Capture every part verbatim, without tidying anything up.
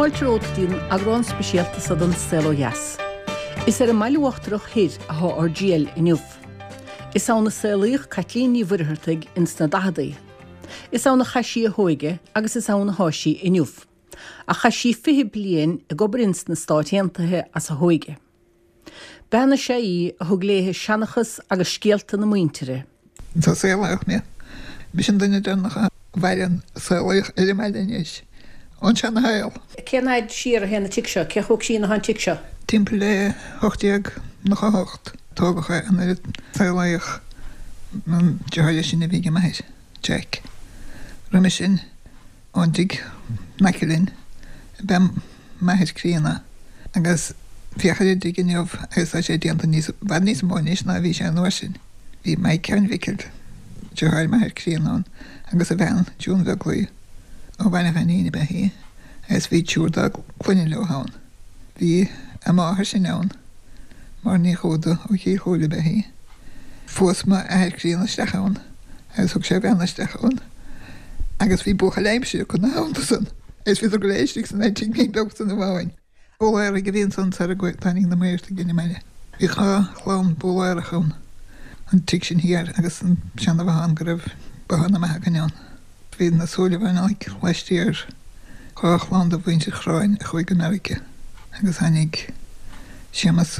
Fáilte romhat go dtí an eagrán speisialta seo den Saol Ó Dheas. Is ar an mBaile Uachtarach Thoir atá ár dtriall inniu. Is ann a saolaíodh Caitlín Ní Mhuircheartaigh ins na daicheadaí. Is ann a chaith sí a hóige agus is ann atá sí inniu. Ach chaith sí fiche bliain ag obair ins na Stáit Aontaithe as a hóige. Bean is ea í a thug léithe seanchas agus scéalta na muintire. Tá saolaíodh mé. Mise an duine deireanach a mhaireann saolaíodh ar an mbaile anois. Ón seanashaol. Cén fhad siar a théann an tigh seo, cé chomh sean atá an tigh seo? Timpeall le hocht déag nócha hocht tógadh é nuair a saolaíodh an deartháir is sine a bhí ag m'athair, Jack. Roimhe sin ón dtigh in aice linn ab ea m'athair críonna agus féach ar an dtigh inniu agus tá sé déanta níos i bhfad níos mó anois ná a bhí sé an uair sin. Bhí Mike Sheáin Mhicil, deartháir m'athar críonna ann, agus a bhean June Bheaglaoi ó Bhaile Ghainín ab ea í, agus bhí triúr dá gclainne leo ann. Bhí a máthair sin ann, Máire Ní Chuada ó Chill Chúile ab ea í. Phós m'athair críonna isteach ann agus thug sé a bhean isteach ann agus bhí buachaill aimsire acu ina theannta san agus bhíodar go léir istigh san tigh beag san amháin. Búiléaraigh a bhí ansan sara dtáinig na Muircheartaigh ar an mbaile. Bhí dhá chlann búiléarach ann, an tigh sin thiar agus an seana-bhothán go raibh bothán na mbeatha againn ann. Bhí na Súilleabhánaigh laistiar, dhá chlann de mhuintir Chráin a chuaigh go Meiriceá agus tháinig Séamus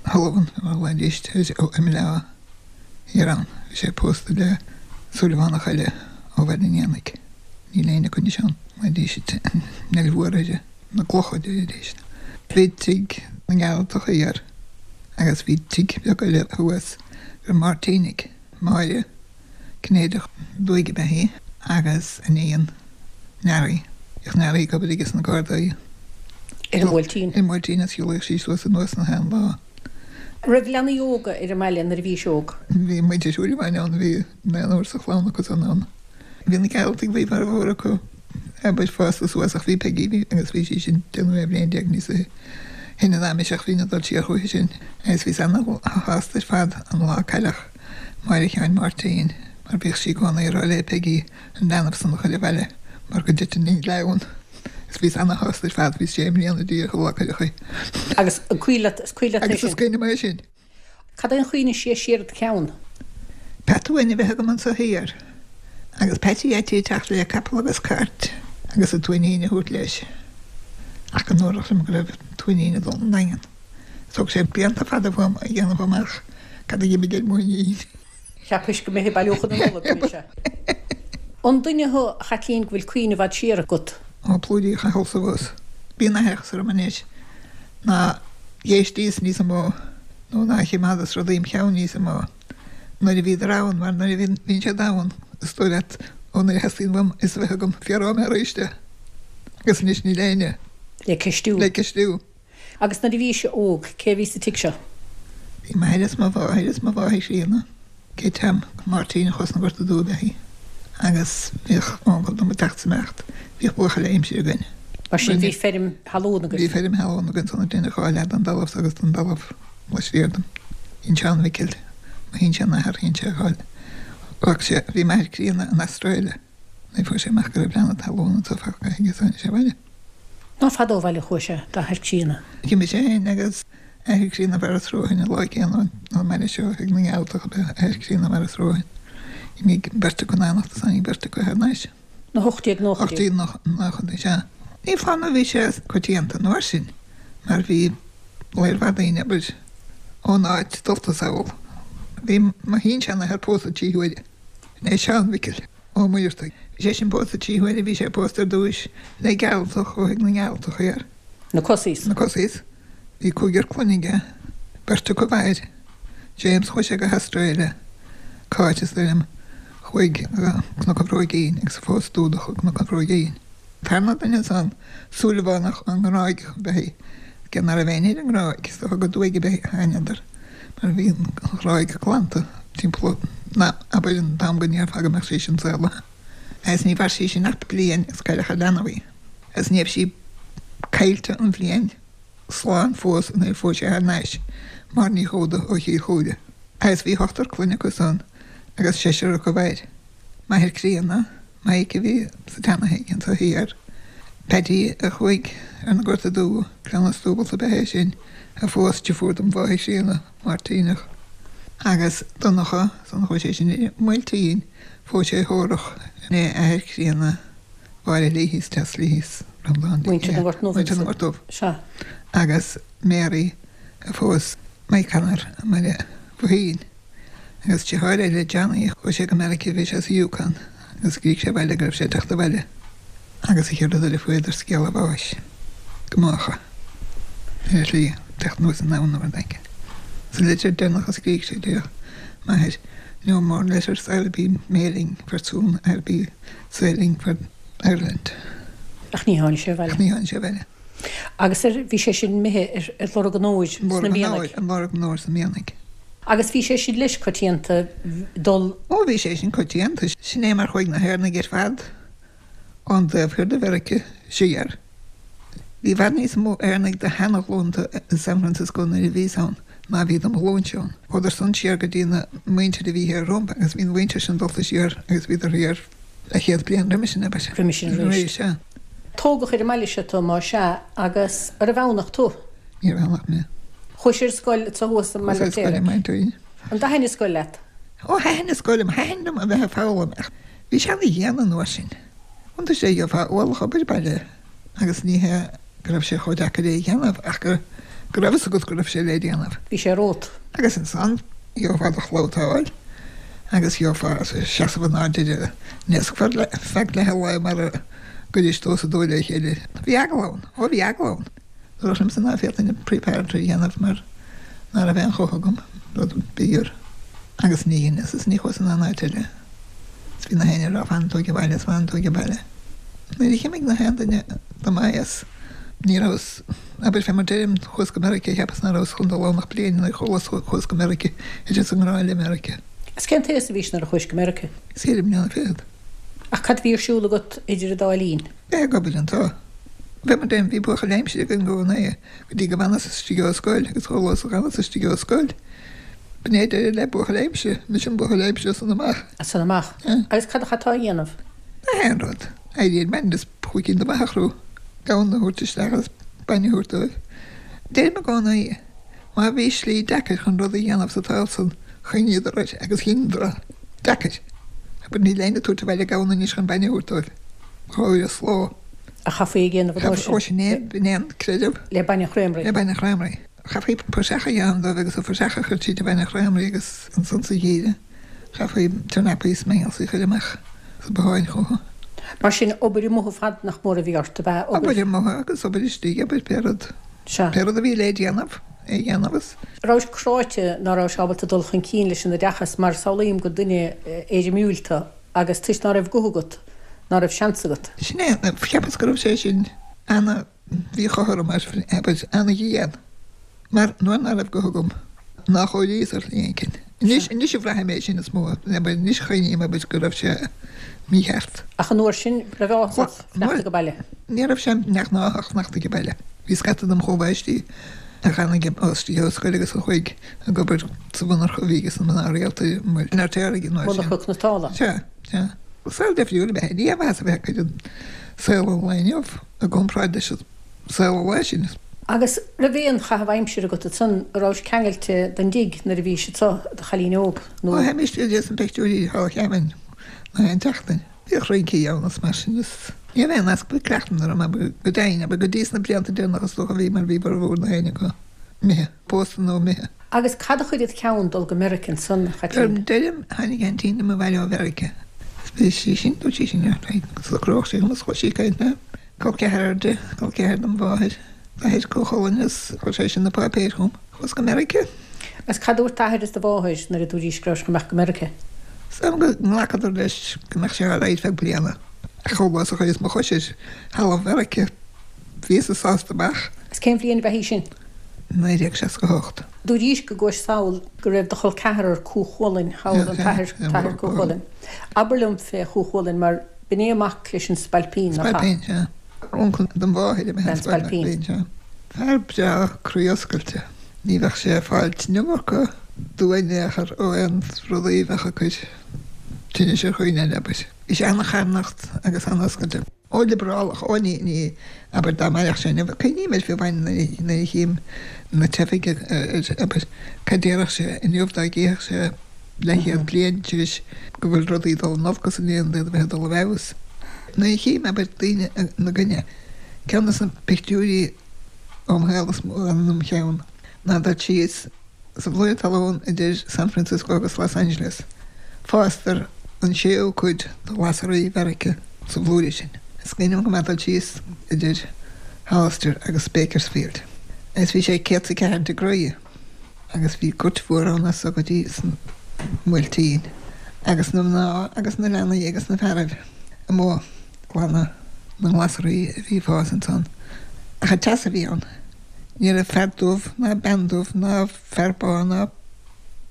Sullivan mar ghlaoidís air ó i mBleá thiar ann. Bhí sé pósta le Súilleabhánach eile ó Bhaile an Éanaigh. Níl éinne acu anois ann, glaoidís an Neill Mhór uirthi, na gclocha deiridís. Bhí tigh na nGearaltach thiar agus bhí tigh beag eile thuas gur Máirtínigh, Máire Cinnéideach Dúig ab ea í agus a iníon Nearaí. Bhíodh Nearaí ag obair aige sna Gardaí. Ar an mBuailtín. Ar an mBuailtín is shiúlaíodh sí suas anuas na haon lá. Raibh leanaí óga ar an mbaile nuair a bhís óg? Bhí muintir Shúilleabháin ann, bhí naonúr sa chlann acu san ann. Bhí na Gearaltaigh, bhí formhór acu abair fásta suas ach bhí Peigí bhí agus bhí sí sin deich nó bhliain déag níos sine ná mise ach bhínn ag dul siar chuici sin agus bhíos ana-shásta ar fad an lá a cailleadh Máire Sheáin Máirtín mar bhíodh sí i gcónaí ag rá le Peigí an leanbh san a chur abhaile mar go dtiteann an gleann agus bhíos ana-shásta ar fad bhí sé mbliana díreach an lá a cuireadh í. Agus an cuimhin leat is cuimhin leat é Agus sin? is cuimhin liom é sin. Cad é an chuimhne siar siar i do cheann? Peata uain a bheith agam anso thiar agus Peaití Fheaití ag teacht le capall agus cairt agus an tuinnín a thabhairt leis. Ach go ndúradh liom go raibh tuinnín ag dul 'on Daingean. Thóg sé blianta fada fúm a dhéanamh amach cad a d'imigh ar m'uainín. Cheapais go mbeifeá ag bailiú chun na Nollag, a bhí sé. An duine thú, a Chaitlín, go bhfuil cuimhne i bhfad siar agat? Ó plúirí Chathail sa bhus. Bíonn aithreachas orm anois ná dh'éistíos níos mó nó ná chimeádas rudaí im cheann níos mó nuair a bhíodar ann mar nuair a bhíonn bhíonn siad ann is dóigh leat ó nuair a theastaíonn uaim fhios a bheith agam fiafróidh mé arís de agus anois níl éinne Le ceistiú. le ceistiú. Agus nuair a bhís óg, cé a bhí sa tigh seo? Bhí m'athair is mo mháthair is mo mháthair chríonna, Kate Tom Máirtín a chuas na Gorta Dubh ab ea í agus bhíodh uncail dom ag teacht is ag imeacht, bhíodh buachaill aimsire againn. Mar sin bhí feirm thalún Bhí agaibh? feirm thalún againn san deineadh dhá leath den talamh agus den talamh laistiar dom. Bhí Seán Mhicil, mo shin-seanathair, shean sé dhá Ghlac sé, bhí m'athair críonna in Astráile nuair a fuair sé amach go raibh leanna talún anso fágtha aige is tháinig sé abhaile. Ná fada ó bhaile a chuaigh sé, d'athair críonna. D'imigh sé féin agus athair críonna Mharas Ruathain an lá céanna ón mbaile seo ag na nGearaltach ab ea athair críonna Mharas Ruathain. D'imigh beirt acu in éineacht is tháinig beirt acu thar n-ais. Na hocht déag nóchaidí. Ocht déag nóchaidí, sea. Ní foláir nó bhí sé coitianta an uair sin mar bhí lear mhaith daoine, abair, ón áit dulta sall. Bhí mo shin-seanathair pósta trí huaire. Sin é Seán Mhicil Ó Muircheartaigh. Bhí sé sin pósta trí huaire, bhí sé pósta ar dtúis le Gearaltach ó thigh na nGearaltach thiar. Na Cosaís. Na Cosaís. Bhí cúigear clainne aige, beirt acu mhair. James, chuaigh sé go hAstráile. Cáit, is dóigh liom, chuaigh go Cnoc an Bhróigín agus phós Dúdach ó Cnoc an Bhróigín. Tarna duine ansan, Súilleabhánach ón nGráig ab ea í. Cé ná raibh éinne ar an nGráig, is dócha go dtuaigh ab ea a tháingadar, mar bhí an Ghráig glanta timpeall na, abair, an t-am go ndéarfá go mbeadh sí sin saolaithe. Agus ní mhair sí sin ach bliain agus cailleadh a leanbh í. Agus ní raibh sí caillte an bhliain slán fós nuair a phós sé thar n-ais Máire Ní Dhúda ó Chill Chúile. Agus bhí ochtar clainne acu san agus seisear acu mhair. M'athair críonna, Maidhc a bhí sa tseana-thigh anso thiar, Paddy a chuaigh ar an Gorta Dubh, cleamhnas dúbailte ab ea é sin, a phós deirfiúr dom mháthair chríonna, Máirtíneach. Agus Donncha, san chuaigh sé sin i mBuailtín, phós sé Thórach, é athair críonna Mháire Leahy's, Tess Leahy's, Breandán Muintir na nGort nDubh. Muintir na nGort Dubh. Sea. Agus Mary a phós Mike Connor i mBaile Bhoithín. Agus deartháir eile, Johnny, chuaigh sé go Meiriceá, bhí sé sa Yukon, agus scrígh sé abhaile go raibh sé ag teacht abhaile. Agus an chéad rud eile fuaireadar scéala bháis go Mácha ar a shlí teacht anuas an abhainn nó rud éigin. Sa litir deireanach a scrígh sé deir m'athair, No more letters I'll be mailing for soon I'll be sailing for Ireland. Ach ní tháinig sé abhaile. Ach ní tháinig sé abhaile. Agus ar, bhí sé sin imithe ar, ar lorg an óir sna mianaigh. Ar lorg an óir sna mianaigh. Agus bhí sé sin leis coitianta dul. Ó bhí sé sin coitianta. Sin é mar chuaigh na hÉireannaigh ar fad ón dtaobh thiar de Mheiriceá siar. Bhí i bhfad níos mó Éireannaigh de sheana-ghlúnta i San Francisco nuair a bhíos ann ná a bhí de mo ghlúinse ann. Chuadar san siar go dtí na muintir a bhí thiar rompu agus bhí an mhuintir sin dulta siar agus bhíodar thiar leathchéad bliain roimis sin, abair. Roimis sin arís. Sea. Tógadh ar an mbaile seo tú, más ea, agus arbh Eamhnach tú? Níorbh Eamhnach mé. Chuais ar scoil anseo thuas i mBaile Chuas ar scoil i mBaile an Fheirtéaraigh. An dtaithin an scoil leat? Ó, thaitin an scoil liom. Thaitin liom a bheith ag foghlaim ach bhí sé ana-dhian an uair sin. Iontais é gheofá ualach obair baile agus ní hé go raibh sé chomh deacair é a dhéanamh ach go go raibh fhios agat go raibh sé le déanamh. Bhí sé romhat. Agus ansan gheofá do chlabhtáil agus gheofá seasamh in airde ar an ndeasc feadh leath an lae mar a gcuiris tomhas a dó le chéile. Bhí eagla ann. Ó bhí eagla ann. Dúradh liomsa ná féadfainn an preparatory a dhéanamh mar ná raibh aon chumha agam, rud b'fhíor. Agus ní dheineas is ní chuas in aon áit eile. Is bhí na héinne ag rá fanann tú age baile is fanann tú age baile. Nuair a ch'imigh na haon duine do m'aos, ní rabhas, abair fé mar deirim, chuas go Meiriceá, cheapas ná rabhas chun dul ann ach bliain nuair a chualas chuas go Meiriceá, thiteas i ngrá le Meiriceá. Is cén t-aos a bhís nuair a chuais go Meiriceá? Ceithre bliana fichead. Ach cad a bhí ar siúl agat idir an dá linn? Bheith ag obair anseo. Fé mar deirim, bhí buachaill aimsire againn i gcónaí go dtí go bhfanas istigh ó scoil agus chuile lá is a dh'fhanas istigh ó scoil. B'in é deireadh le buachaill aimsire. Mise an buachaill aimsire as san amach. As san amach. Yeah. Agus cad a chaiteá a dhéanamh? Nach aon rud. Éirí ar maidin is púicín de mhaith a chrú, gamhain a thabhairt isteach agus bainne a thabhairt dóibh. Deirim i gcónaí, má bhí slí deacair chun rud a dhéanamh sa tsaol san, choinníodar air agus dheineadar é. Deacair. Abair níl éinne ag tabhairt abhaile gamhain anois chun bainne a thabhairt dóibh. Dhá uair sa ló. A chaithfí a dhéanamh an uair sin. Ó sin é, b'in é an creideamh. Le bainne Chreamraí. Le bainne Chreamraí. Chaithfí praiseach a dhéanamh dóibh agus an phraiseach a chur tríd an bhainne Chreamraí agus ansan sa gheimhreadh chaithfí turnapaí is mangels a chur amach sa botháin chucu. Mar sin, obair amuigh ar fad nach mór a bhí ort, ab ea? Obair amuigh agus obair istigh, obair pé rud. Sea. Pé rud a bhí le déanamh, é a dhéanamh is. Rabhais cráite ná rabhais ábalta dul chun cinn leis an oideachas mar samhlaím gur duine éirimiúil tú agus toisc ná raibh guth agat, ná raibh seans agat. Sin é, cheapas go raibh sé sin ana-mhíchothrom, abair, ana-dhian, mar nuair ná raibh guth agam, ná chóiríos ar shlí éicint. Anois, anois a bhraithim é sin is mó, abair, anois a chuimhním, abair, go raibh sé mícheart. Ach an uair sin, raibh áthas ort fanacht age baile? Ní raibh sé neamhghnáthach fanacht age baile. Bhí scata dem chomhaoistigh a d'fhan istigh ó scoil agus a chuaigh ag obair sa mhonarcha a bhí aige sna mná rialta i mBaile an Fheirtéaraigh an uair sin. Monarcha cniotála. Sea, sea. Saol difriúil ab ea é. Ní haon mhaitheas a bheith ag cur an saol an lae inniu i gcomparáid leis an saol an lae sin. Agus raibh aon chaitheamh aimsire agat ansan, a rabhais ceangailte den dtigh nuair a bhís anso i do chailín óg, nó? Ó, théimis go dtí na pictiúirí thall Cheamainn na haon tseachtain. Bhíodh rincí ann is mar sin is ní raibh aon easpa cleachtaidh orm abair go deimhin, abair go dtí sna blianta deireanacha is dócha a bhí mar bhí formhór na héinne acu imithe, pósta nó imithe. Agus cad a chuir id cheann dul go Meirice ansan, a Chaitlín? Deirim, tháinig aintín liom abhaile ó Mheirice. Is bhí sí sin, dúirt sí sin, socródh sí dhom is chuaigh sí ag caint le col ceathrar di, col ceathar dom mháthair, athair Cú Chulainn is chuir sé sin na páipéir chugam. Chuas go Meirice. Agus cad a dúirt d'athair is do mháthair nuair a dúraís go rabhais chun imeacht go Meirice? Is dóigh liom go nglacadar leis go mbeadh sé alright feadh bliana. Ach chomh luath is a chuireas mo chois ar thalamh Mheirice, bhíos-sa sásta amach. Agus cén bhliain ab ea í sin? naoi déag seasca a hocht. Dúraís go gcuais sall go raibh do chol ceathrar Cú Chulainn thall, an t-athair, t-athair Cú Chulainn. Abair liom fé Chú Chulainn mar b'in é mac leis an Spailpín, nach ea? Spailpín, sea. Uncail dom mháthair ab ea an Spailpín, sea. Fear breá croí-oscailte. Ní bheadh sé ag fáilt an iomarca dua in aon chor ó aon rudaí a bheadh ag cur tinnis ar dhaoine eile, abair. Bhí sé an-charthannach agus an-oscailte. Ó liobrálach, ó ní, ní, abair dá mairfeadh sé inniu, cuimhním air fiú amháin nuair a chím na teifigh abair, cad déarfadh sé inniu dá gcífeadh sé leathchéad bliain tar éis go bhfuil rudaí ag dul in olcas in aon iad a bheith ag dul i bhfeabhas. Nuair a chím abair daoine ina gcoinne, ceann de na pictiúirí óm shaol is mó a fhanann im cheann ná dul síos sa bhlúire talún idir San Francisco agus Los Angeles. Fástar an séú cuid de ghlasraí Mheiriceá sa bhlúire sin. Is cuimhin liom go maith dul síos idir Hollister agus Bakersfield agus bhí sé céad 's a ceathair degree agus bhí goirt mhór ann as so go dtí san mBuailtín agus na mná agus na leanaí agus na fearaibh amuigh ag glanadh na nglasraí a bhí ag fás ansan. Ach an teas a bhí ann. Ní raibh fear dubh ná bean dubh ná fear bán ná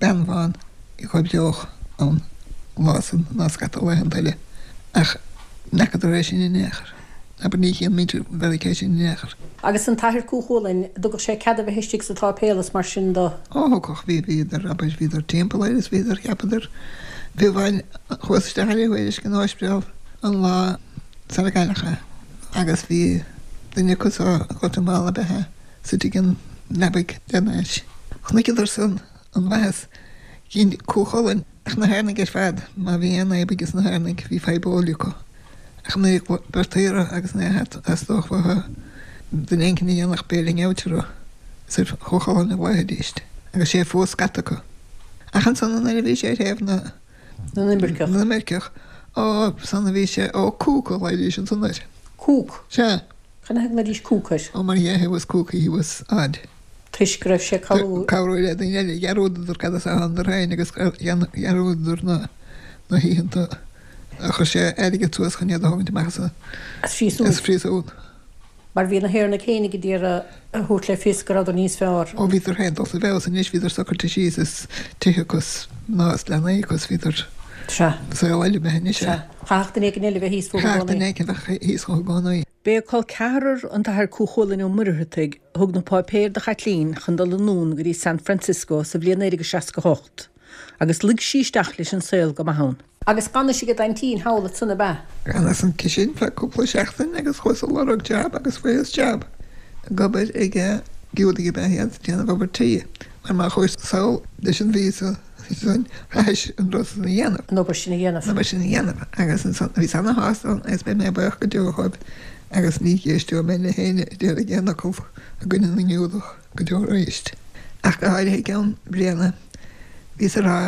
bean bhán a dh'oibreodh ann an lá san ná scata laethanta eile. Ach n'fheacadar é sin in aon chor. Abair ní chíonn muintir Mheiriceá sin in aon chor. Agus an t-athair Cú Chulainn, dtugadh sé cead a bheith istigh sa tsáipéal is mar sin do? Ó thugadh, bhí, bhíodar, abair, bhíodar timpeall air is bhíodar, cheapadar, fiú amháin, chuas isteach ar a thuairisc in ospidéal an lá sara cailleadh é agus bhí duine acu ó Ghuatamala ab ea é sa tigh an leabaidh lena ais. Chonaiceadar san an mhaitheas. Dhein Cú Chulainn, ach na hÉireannaigh ar fad, má bhí aon fhadhb aige sna hÉireannaigh, bhí fadhb óil acu. Ach nuair a gortaíodh agus nuair a theastódh uathu duine éicint a dhéanfadh béile ngeabhait orthu, is ar Chú Chulainn a ghlaofaidíst, agus sé fuath scata acu. Ach ansan nuair a bhí sé ar thaobh na. na n-imirceach. na n-imirceach, ó, san a bhí sé, ó, Cúc a ghlaoidís ansan air. Cúc? Sea. Cad ina thaobh a nglaoidís Cúc air? Ó, mar dhea, he was kooky, he was odd. Toisc go raibh sé ag cabhrú. cabhrú le daoine eile. Dhearúdadar cad as a thánadar féin agus dhearúdadar na na hoícheanta a chuir sé airgead suas chun iad a thógaint amach as an As phríosún. as phríosún. Mar bhí na hÉireannaigh fhéinig ag iarraidh a thabhairt le fios go rabhadar níos fearr. Ó bhíodar féin dulta i bhfeabhas anois, bhíodar socraithe síos is tithe acu is mná is leanaí acu is bhíodar Sea. saol eile imithe anois. Sea. Chaithfeadh duine éigin eile a bheith thíos fúthu i Chaithfeadh gcónaí. duine éigin a bheith thíos fúthu i gcónaí. B'é a col ceathrar an tAthair Cú Chulainn Ó Muircheartaigh a thug na páipéir do Chaitlín chun dul anonn go dtí San Francisco sa bhliain naoi déag seasca a hocht agus luigh sí isteach leis an saol go maith ann. Agus d'fhanais ag d'aintín thall ansan ab ea? D'fhanas aici sin feadh cúpla seachtain agus chuas ag lorg jab agus fuaireas jab ag obair ag Giúdaigh ab ea iad, ag déanamh obair tí, mar má chuas sall leis an víosa sin chaithfeas an rud san a dhéanamh. An obair sin a dhéanamh. An obair sin a dhéanamh agus ansan bhíos ana-shásta ann agus beidh mé buíoch go deo dhóibh agus ní éisteoidh mé le héinne a déarfaidh aon fhocal i gcoinne na nGiúdach go deo arís. Ach go háirithe i gceann bliana bhíos ag rá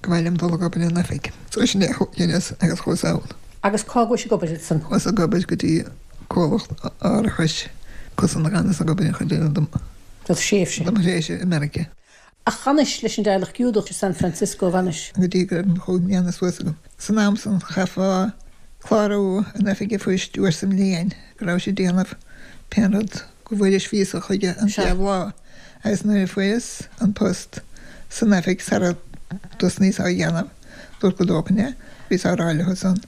Go mba mhaith liom dul ag obair in oifig. So sin é a dheineas agus chuas ann. Agus cá gcuais ag obair ansan? Chuas ag obair go dtí comhlacht árachais ansan a dh'fhanas ag obair an chuid eile de Do thréimhse. De mo thréimhse i Meiriceá. Ach d'fhanais leis an dteaghlach Giúdach i San Francisco, bhfanais? Go dtí go raibh mo chúig mbliana suas agam. San am san chaithfeá clárú in oifig an phoist uair sa mbliain go rabhais ag déanamh pén rud go bhfuairis víosa chuige an chéad lá. Agus nuair a fuaireas an post san oifig sara dtosnaíos á dhéanamh, dúrt go dtógfainn é, bhíos á rá leo san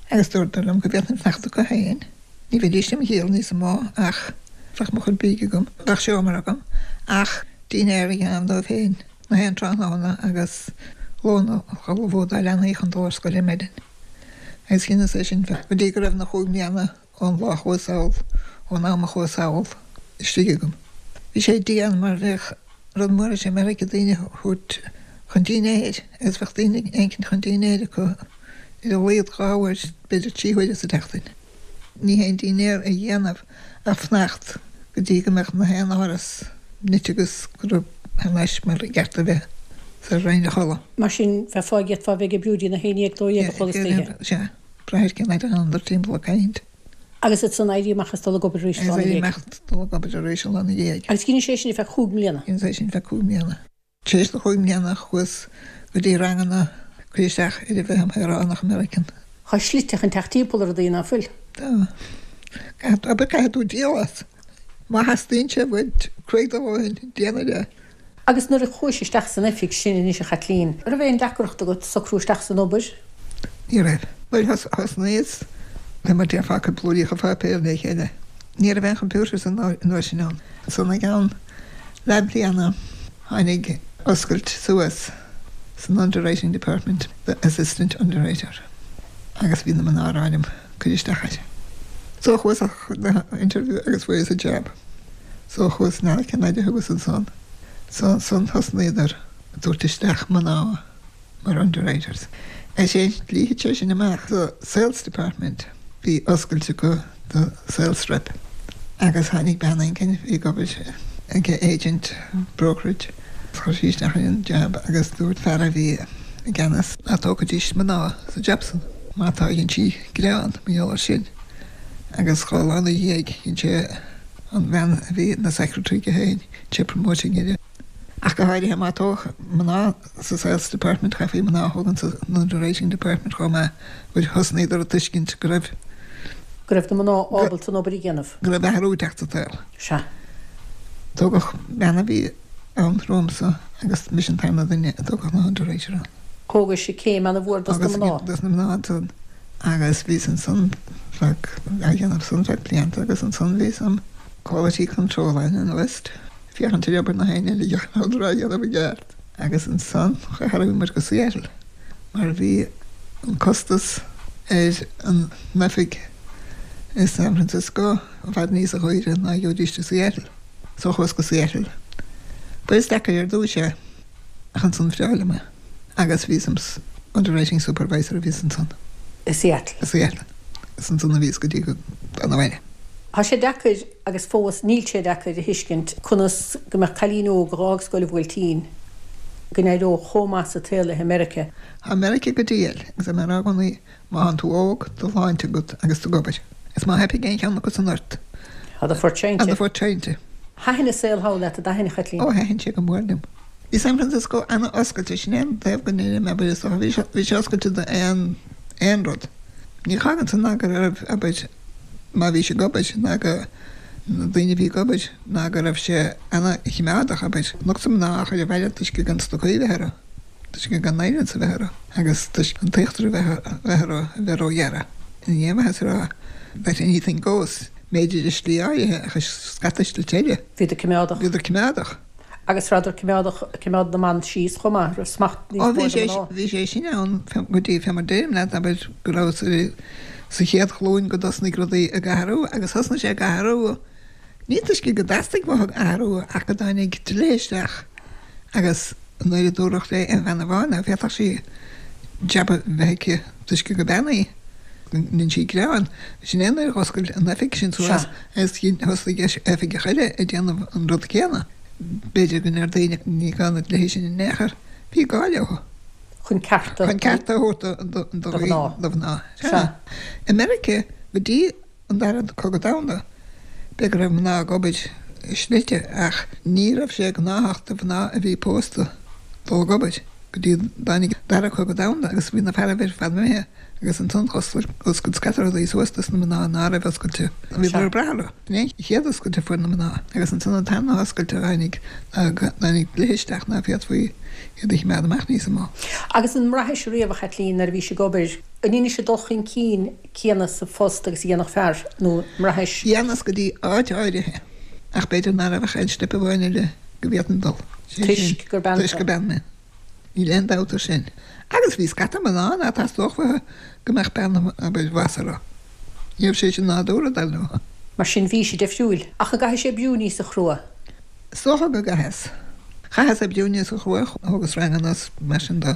agus dúradar liom go bhféadfainn fanacht acu féin. Ní bheidís im dhíol níos mó ach bheadh mo chuid bídh agam, bheadh seomra agam ach dinnéar a dhéanamh dóibh féin na haon tráthnóna agus lón a ullmhú dá leanaí chun dul ar scoil ar maidin. Agus dheineas é sin go dtí go raibh na chúig mbliana ón lá a chuas sall, ón am a chuas sall, istigh agam. Bhí sé dian mar bheadh rud mór i Meiriceá daoine a thabhairt chun dinnéir agus bheadh duine éicint chun dinnéir acu ar a laghad dhá uair, b'fhéidir trí huaire sa tseachtain. Ní haon dinnéar a dhéanamh ach fanacht go dtí go mbeadh na haon áras nite agus go raibh thar n-ais mar i gceart a bheith sara raghainn a chodladh. Mar sin, bheifeá ag fhéadfá a bheith ag oibriú dtí na haon dhéag, dó dhéag a chlog istoíche. Sea, brath ar cén fhaid a d'fhanadar timpeall ag caint. Agus ansan éirí amach is dul ag obair arís an lá Agus ina éirí dhiaidh. amach is dul ag obair arís an lá ina dhiaidh. Agus dheinis é sin ar feadh chúig mbliana. Dheineas é sin ar feadh cúig mbliana. Tar éis na chúig mbliana chuas go dtí ranganna cur isteach ar a bheith im shaoránach Meiricean. Tá slite chun teacht timpeall ar rudaí ná fuil. Tá. Caithfidh, abair, caithfidh tú díol as. Má theastaíonn sé uait cruaidh do dhóthain, déanfair é. Agus nuair a chuais isteach san oifig sin anois a Chaitlín, an raibh aon deacracht agat socrú isteach san obair? Ní raibh. Nuair a thosnaíos, le mar déarfá ag cur blúiríocha páipéir le chéile, ní raibh aon computers an uair sin ann. Ansan i gceann leathbhliana tháinig oscailt suas san underwriting department do assistant underwriter agus bhí na mná ag rá liom cur isteach air. So chuas na interview agus fuaireas an jab. So chuas na Ceanada thuas ansan. So ansan thosnaíodar ag tabhairt isteach mná mar underwriters. Is é dlí sé sin amach so sales department bhí oscailte go do sales rep. Agus tháinig bean éigin bhí ag obair ag agent brokerage. Chuir sí isteach an jab agus dúirt fear a bhí i gceannas ná tógfaidís mná sa jab san. Má tá dhein sí gearán mar gheall air sin. Agus dhá lá ina dhiaidh dhein sé an bhean a bhí ina secretary aige féin, sé promoting uirthi. Ach go háirithe má tógadh mná sa sales department chaithfí mná a thógaint sa underwriting department chomh maith, bhuel thosnaíodar ag tuiscint go raibh Go raibh na mná ábalta an obair a dhéanamh. Go raibh athrú ag teacht sa tsaol. Sea. Tógadh bean a bhí ann romhamsa agus mise an tarna duine a tógadh ina underwriter ann. Thógais céim an-mhór dos na mná. Dos na mná ansan. Agus bhíos ansan feadh, á dhéanamh san feadh blianta agus ansan bhíos im quality control analyst, féachaint ar obair na héinne eile a rabhadar á dhéanamh i gceart. Agus ansan tharraing muid go Seattle mar bhí an costas ar an oifig i San Francisco i bhfad níosa dhaoire ná gheobhaidís i Seattle. So chuas go Seattle. Ba is deacair ar dtús é ach ansan bhreá liom é. Agus bhíos im underwriting supervisor a bhíos ansan. I Seattle. I Seattle. Is ansan a bhíos go dtí go dtána abhaile. Tá sé deacair agus fós níl sé deacair a thuiscint conas go mbeadh cailín óg a dh'fhág Scoil an Bhuailtín go n-éireodh chomh maith sa tsaol léi i Meiriceá. Tá Meiriceá go diail agus tá mé ag rá i gcónaí má thánn tú óg, do shláinte agat agus tú ag obair. Is má theipfidh aon cheann acu san ort. Tá do phort seinnte. Tá do phort seinnte. Thaitin an saol thall leat, a d'aithin, a Chaitlín? Ó, thaitin sé go mór liom. Bhí San Francisco ana-oscailte, sin é an taobh go ndeirim, abair, is dócha, bhí sé, bhí sé oscailte do aon, aon rud. Ní fhágann san ná go raibh, abair, má bhís ag obair, ná go, na daoine a bhí ag obair, ná go raibh sé ana-choimeádach, abair. Lucht mná a chur abhaile toisc gan stocaí a bheith orthu, toisc gan nylons a bheith orthu agus toisc an t-íochtar a bheith, a bheith orthu a bheith róghearrtha. Ní aon mhaitheas a rá that anything goes, b'fhéidir i slí áirithe ach i scata slite eile. Bhíodar coimeádach. Bhíodar coimeádach. Agus rabhadar coimeádach ag coimeád na mban síos chomh maith, raibh smacht níos Ó mó bhí ag sé na mná. bhí sé sin ann go dtí fé mar deirim leat, abair, go raibh sa sa chéad ghlúin go dtosnaigh rudaí ag athrú agus thosnaigh sé ag athrú ní toisc go dteastaigh uathu athrú ach go dtáinig dlíthe isteach agus nuair a dúradh le aon bhean amháin ná féadfadh sí jab a bheith aici toisc gur bean í, go ndein sí gearán. Sin é nuair a dh'oscail an oifig sin suas Sea. agus thosnaigh oifigeach eile ag déanamh an rud céanna. B'fhéidir go ndeir daoine ní gá na dlíthe sin in aon chor. Bhí gá leo. Chun cearta Chun cearta a thabhairt do do mhná. do mhná. Sea. Sea. I Meiriceá go dtí an Dara Cogadh Domhanda, b'fhéidir go raibh mná ag obair i slite ach ní raibh sé gnáthach do mhná a bhí pósta dul ag obair go dtí dtáinig Dara Cogadh Domhanda agus bhí na fearaibh ar fad imithe agus ansan dh'oscail scata rudaí suas dos na mná ná raibh oscailte. Bhíodar ag brath orthu. Sin é an chéad oscailt a fuair na mná agus ansan an tarna hoscailt a tháinig ná go dtáinig dlíthe isteach ná féadfaí iad a chimeád amach níosa mó. Agus an mbraithis riamh, a Chaitlín, nuair a bhís ag obair, an ndeinis an dul chun cinn céanna sa phost agus a dhéanfadh fear, nó an mbraithis? Dhéanas go dtí áit áirithe, ach b'fhéidir ná raibh ach aon steip amháin eile go bhféadfainn dul. Sé sin, Toisc gur bean toisc gur bean mé. Níl aon dabht ar sin. Agus bhí scata mná ná teastódh uathu go mbeadh bean abair bhas orthu. Ní raibh sé sin nádúrtha, dar leo. Mar sin bhí sé difriúil. Ach an gcaithfidh sé oibriú níosa chrua? Is dócha go gcaitheas. Chaitheas oibriú níosa chrua, thógas ranganna is mar sin de.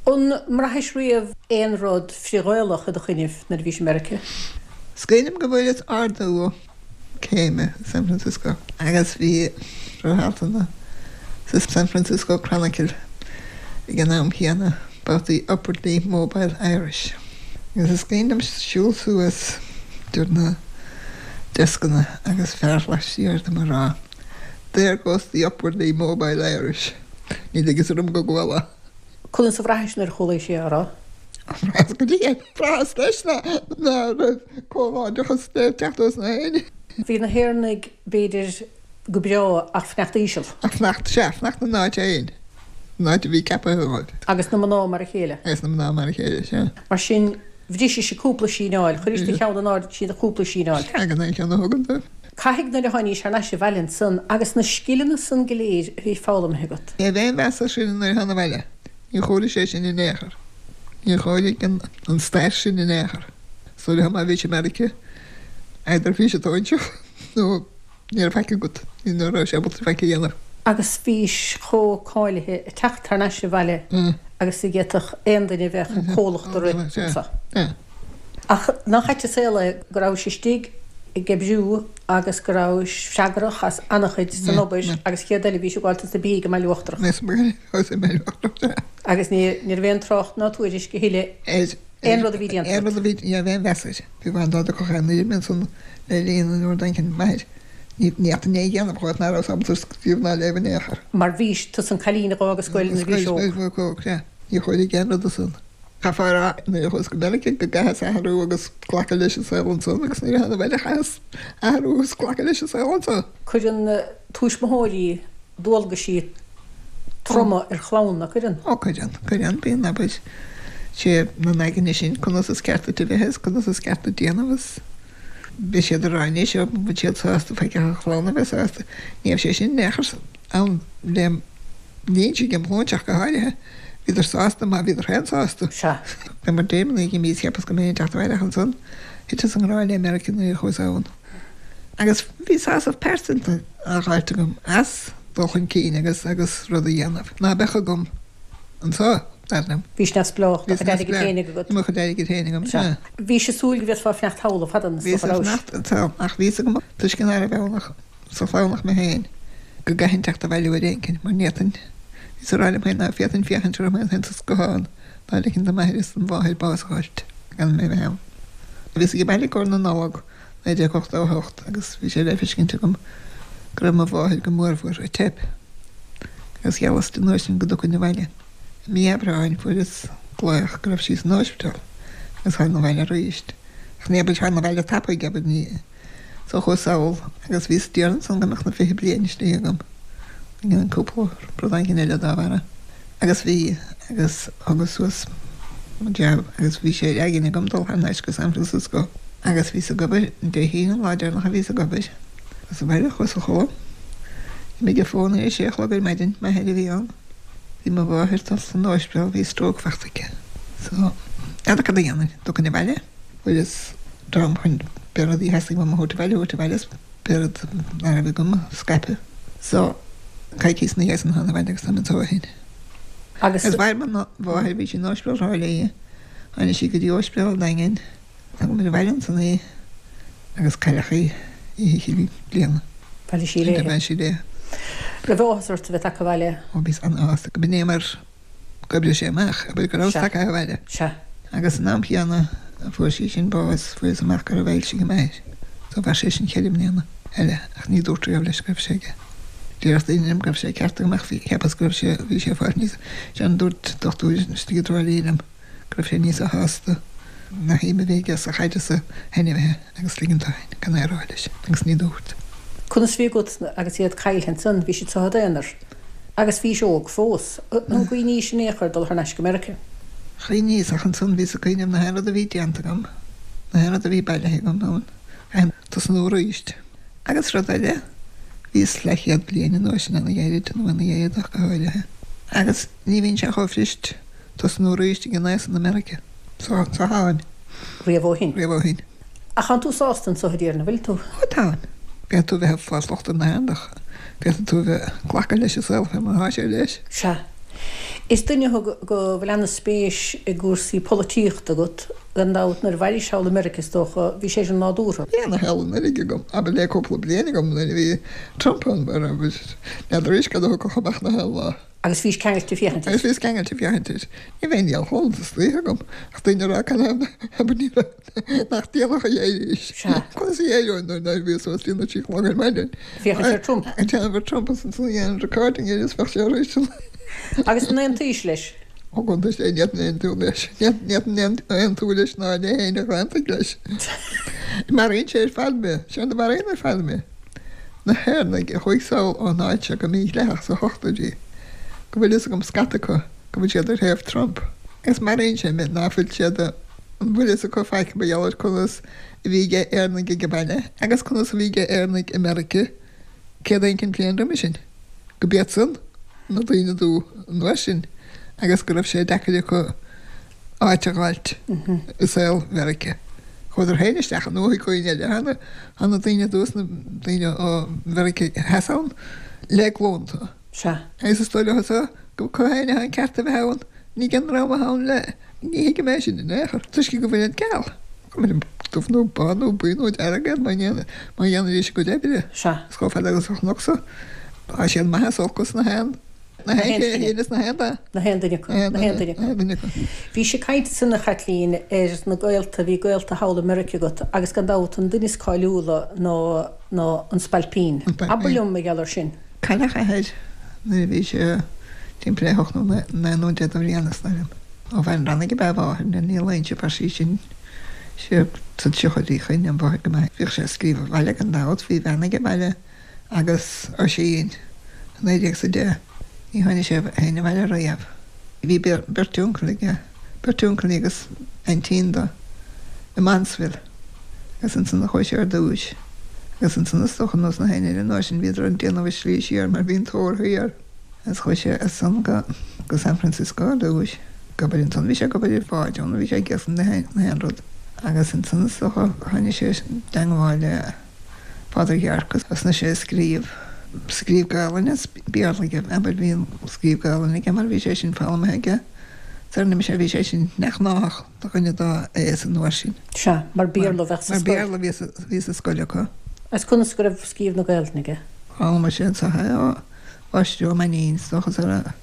An mbraithis riamh aon rud frith-Ghaelach i do choinnibh nuair a bhís i Meiriceá? Is cuimhin liom go bhfuaireas ardú céime i San Francisco agus bhí altanna sa San Francisco Chronicle ag an am chéanna about the upwardly mobile Irish. Agus is cuimhin liom siúl suas idir na deascanna agus fear laistiar dom ag rá There goes the upwardly mobile Irish. Ní fhios orm go gcuala. Conas a bhraithis nuair a chualaís é á rá? Bhraitheas go diail. Bhraitheas leis ná raibh comhghairdeachas le teacht os na héinne. Bhí na hÉireannaigh, b'fhéidir, go breá ach fanacht íseal. Ach fanacht, sea, fanacht na n-áit féin, an áit a bhí ceaptha dóibh. Agus na mná mar a chéile. Agus na mná mar a chéile, sea. Mar sin, bhrisís cúpla síneáil, chuiris do cheann in airde siad cúpla síneáil. Sea, gan aon cheann a thógaint dóibh. Caithfidh nuair a tháinís thar n-ais abhaile ansan agus na scileanna san go léir a bhí foghlamtha agat. Ní raibh aon mheas air sin nuair a thána abhaile. Níor chóirigh sé sin in aon chor. Níor chóirigh an stair sin in aon chor. Is dóigh liom má bhís i Meiriceá Either bhí sé tóinteach nó ní raibh faic agat, ní raibh sé ábalta faic a dhéanamh. Agus bhís chomh cáilithe ag teacht thar n-ais abhaile agus a d'fhéadfadh aon duine a bheadh comhlacht a rith anso. Ach nach ait an saol é go rabhais istigh ag oibriú agus go rabhais freagrach as an-chuid san obair agus chéad eile bhís ag gabháil dos na beithígh i mBaile Uachtarach. Agus ní raibh aon trácht ná tuairisc a thuilleadh aon rud a bhí déanta. Aon rud a bhí, ní raibh aon mheas air. Bhí bhain dá dtiocfadh aon ní ansan le linn an uair d'inchinn m'athair. Ní fhéadfainn é a dhéanamh chomh ná raibh ábalta scríobh ná léamh in aon chor. Mar bhís tusa an cailín a dh'fhág an scoil nuair a bhís óg. Óg, sea. Ní chóirigh aon rud ansan. Chaithfeá a rá nuair a chuas go Meiriceá go gcaitheas athrú agus glacadh leis an saol ansan agus nuair a thána abhaile chaitheas athrú agus glacadh leis an saol anso. Cuireann tuismitheoirí dualgaisí troma ar chlann, nach gcuireann? Ó cuireann, cuireann, bíonn, abair, sé na n-aigne sin conas is ceart duit a bheith is conas is ceart duit déanamh is beidh siad ag rá anois ó bhfuil siad sásta faic ach an chlann a bheith sásta. Ní raibh sé sin in aon chor ann lem linnse ag an bpointe ach go háirithe. Bhíodar sásta má bhíodar féin sásta. Sea. Bhí mar dréimeanna ag imí cheapas go mbeinn ag teacht abhaile ach ansan thiteas i ngrá le Meiriceá nuair a chuas ann. Agus bhí sásamh pearsanta á dh'fháilt agam as dul chun cinn agus agus rud a dhéanamh ná beadh agam anso, dar liom. Bhís neamhspleách, do chuid airgid féinig agat. Bhí mo chuid airgid féinig agam, sea. Bhís ag súil go bhféadfá fanacht thall le fada, is Bhíos dócha, ag rabhais? fanacht anso ach bhí fhios agam toisc ná raibh ann ach sa chlann ach mé féin, go gcaithfinn teacht abhaile uair éicint mar ní fhéadfainn, bhíos ag rá liom féin ná féadfainn féachaint orm féin sa scáthán dá ligfinn do m'athair is do mháthair bás a dh'fháilt gan mé bheith ann. Bhíos age baile i gcomhair na Nollag naoi déag ochtó a hocht agus bhí sé le feiscint agam go raibh mo mháthair go mórmhór ag teip agus gheallas di an uair sin go dtiocfainn abhaile. I mí Aibreáin fuaireas glaoch go raibh sí san óispidéal agus thána abhaile arís. Ach ní abair thána abhaile tapaidh, abair ní so chuas sall agus bhíos diarra ansan go mbeadh na fiche bliain istigh agam, an cúpla rud éigin eile dá bharra. Agus bhí agus thugas suas mo jab agus bhí sé ar aigne agam dul thar n-ais go San Francisco. Agus bhíos ag obair Dé hAoine an lá deireanach a bhíos ag obair. Chuas abhaile, chuas a chodladh. D'imigh an fón ar a sé a chlog ar maidin, m'athair a bhí ann. Bhí mo mháthair dul san óispidéal, bhí stroke fachta aici. So, n'fheadar cad a dhéanfainn, dtiocfainn abhaile? Fuaireas dream chun pé rudaí a theastaigh uaim a thabhairt abhaile, a thabhairt abhaile is pé rud ná raibh agam a scaipeadh. So, coicíos ina dhiaidh san thána abhaile agus táim anso ó shin. Agus. Agus mhair mo mháthair, bhí sí in Óispidéal Thrá Lí, tháinig sí go dtí Óispidéal an Daingin, thugamar abhaile ansan í agus cailleadh í oíche Chinn Bliana. Bhailigh sí léi. Bhailigh sí léi. Raibh áthas ort a bheith tagtha abhaile? Ó bhíos an-shásta go b'in é mar dh'oibrigh sé amach, abair go rabhas Sea. tagtha abhaile. Sea. Agus san am chéanna a fuair sí sin bás, fuaireas amach go raibh ailse ag m'athair. So mhair sé sin ceithre mbliana eile ach ní dúrt riamh leis go raibh sé aige. Déarfadh daoine liom go raibh sé ceart agam ach bhí, cheapas go raibh sé, bhí sé ag fáil níos, sin dúirt dochtúir istigh i dTrá Lí liom go raibh sé níosa shásta na shuim a bhí aige sa chaid is sna hainmhithe agus ligint dó féin gan é a rá leis agus ní dúirt. Conas a bhí agat agus iad caillte ansan, bhí siad i d'aonar agus bhís óg fós, an gcuimhnís in aon chor dul thar n-ais go Meiriceá? Chuimhníos ach ansan bhíos ag cuimhneamh na haon rud a bhí déanta agam, na haon rud a bhí bailithe agam ann, caithfinn tosnú arís. Agus rud eile, bhíos leathchéad bliain an uair sin ana-ghairid, nó ina dhiaidh ach go háirithe, agus ní bhíonn sé chomh fuirist tosnú arís ag an aos san i Meiriceá. So, so tháim. Riamh ó shin. Riamh ó shin. Ach tánn tú sásta anso i dTír an bhfuil tú? Ó táim. Féadfaidh tú bheith ag fáil locht ar na haon ach féadfaidh tú a bheith ag glacadh leis an saol fé mar atá sé leis. Sea. Is duine thú go bhfuil ana-spéis i gcúrsaí polaitíochta agat, gan dabht. Nuair a bhailís thall i Meiriceá is dócha, bhí sé sin nádúrtha. Bhí ana-sheal an uilig agam, abair le cúpla bliain agam nuair a bhí Trump ann, mar abair, n'fheadar arís cad a thiocfadh amach na haon lá. Agus bhís ceangailte féachaint air. Agus bhíos ceangailte féachaint air. Ní bheinn níl chodlata istoíche agam ach daoine ag rá cad é abair ní raibh nach déanach a d'éirís. Sea. Conas a d'éireoinn nuair nuair a bhíos suas líon na trí chlog ar maidin. Féachaint ar Trump. Ag déanamh ar Trump agus ansan a dhéanamh recording air is bheadh sé arís an. Agus an aontaís leis? Ó go ndeis é ní fhéadfainn aontú leis. Ní fhéadfainn aontú leis ná le héinne a d'aontaigh leis. Maraíonn sé ar fad mé. Séard a mharaíonn ar fad mé. Na hÉireannaigh a chuaigh sall ón áit seo go mídhleathach sa hochtóidí, go bhfuil fhios agam scata acu go bhfuil siad ar thaobh Trump. Agus maraíonn sé mé ná fuil siad an bhfuil fhios acu faic mar gheall ar conas a bhí ag Éireannaigh ag baile agus conas a bhí ag Éireannaigh i Meiriceá céad éicint bliain roimhe sin, go b'iadsan na daoine dubha an uair sin agus go raibh sé deacair acu áit a dh'fháilt i saol Mheiriceá. Chuadar féin isteach an uaigh dhaoine eile cheana, tá na daoine thuas, na daoine ó Mheiriceá Theas ann le glúnta. Sea. Agus is dóigh leo so go acu féin atá an ceart a bheith ann, ní ag an ndream atá ann le, ní thuigim é sin in aon chor, toisc go bhfuil siad geal. Cuma liom dubh nó bán nó buí nó dearg iad má dhéanaidís a gcuid oibre. Sea. Is chomh fada agus a chonac-sa, tá siad maith is olc is na haon. Na haon chéile is na haon dath. Na haon duine acu. Na haon duine acu. Bhís ag caint ansan a Chaitlín ar na gaolta, bhí gaolta thall i Meiriceá agat agus gan dabht an duine is cáiliúla ná ná an Spailpín. Abair liom mar gheall air sin. Cailleadh a athair nuair a bhí sé timpeall ar hocht nó naoi nó deich de bhliana is dóigh liom. Ó Bheann Rannaigh ab ea a mháthair, ní Loingsigh ab ea sí sin. Sé sa tríochaidí a choinnigh an mháthair go maith. Bhíodh sé ag scríobh abhaile gan dabht, bhí bean aige abhaile Agus Oisín, naoi déag is a deich, ní tháinig sé féin abhaile riamh. Bhí beirt uncail aige, beirt uncailí agus aintín dó, i Mansville, agus ansan a chuaigh sé ar dtúis. Agus ansan is dócha nós na héinne eile an uair sin bhíodar ag déanamh a slí siar mar bhí an tóir thiar. Agus chuaigh sé as san go go San Francisco ar dtúis, ag obair ansan, bhí sé ag obair ar bháid ann, bhí sé ag iascach na haon rud. Agus ansan is dócha tháinig sé i dteangmháil le. Father Yorke agus thosnaigh sé ag scríobh, scríobh Gaelainne is Béarla aige, abair bhí an scríobh Gaelainne aige mar bhí sé sin foghlamtha aige, dar ndóigh mise bhí sé sin neamhghnách do dhuine dá aois an uair sin. Sea, mar Béarla a bheadh sa Mar scoil. Béarla a bhí sa, bhí sa scoil acu. Agus conas go raibh scríobh na Gaelainne aige? D'fhoghlaim sé anseo é ó Mháistir Ó Mainnín, is dócha, sara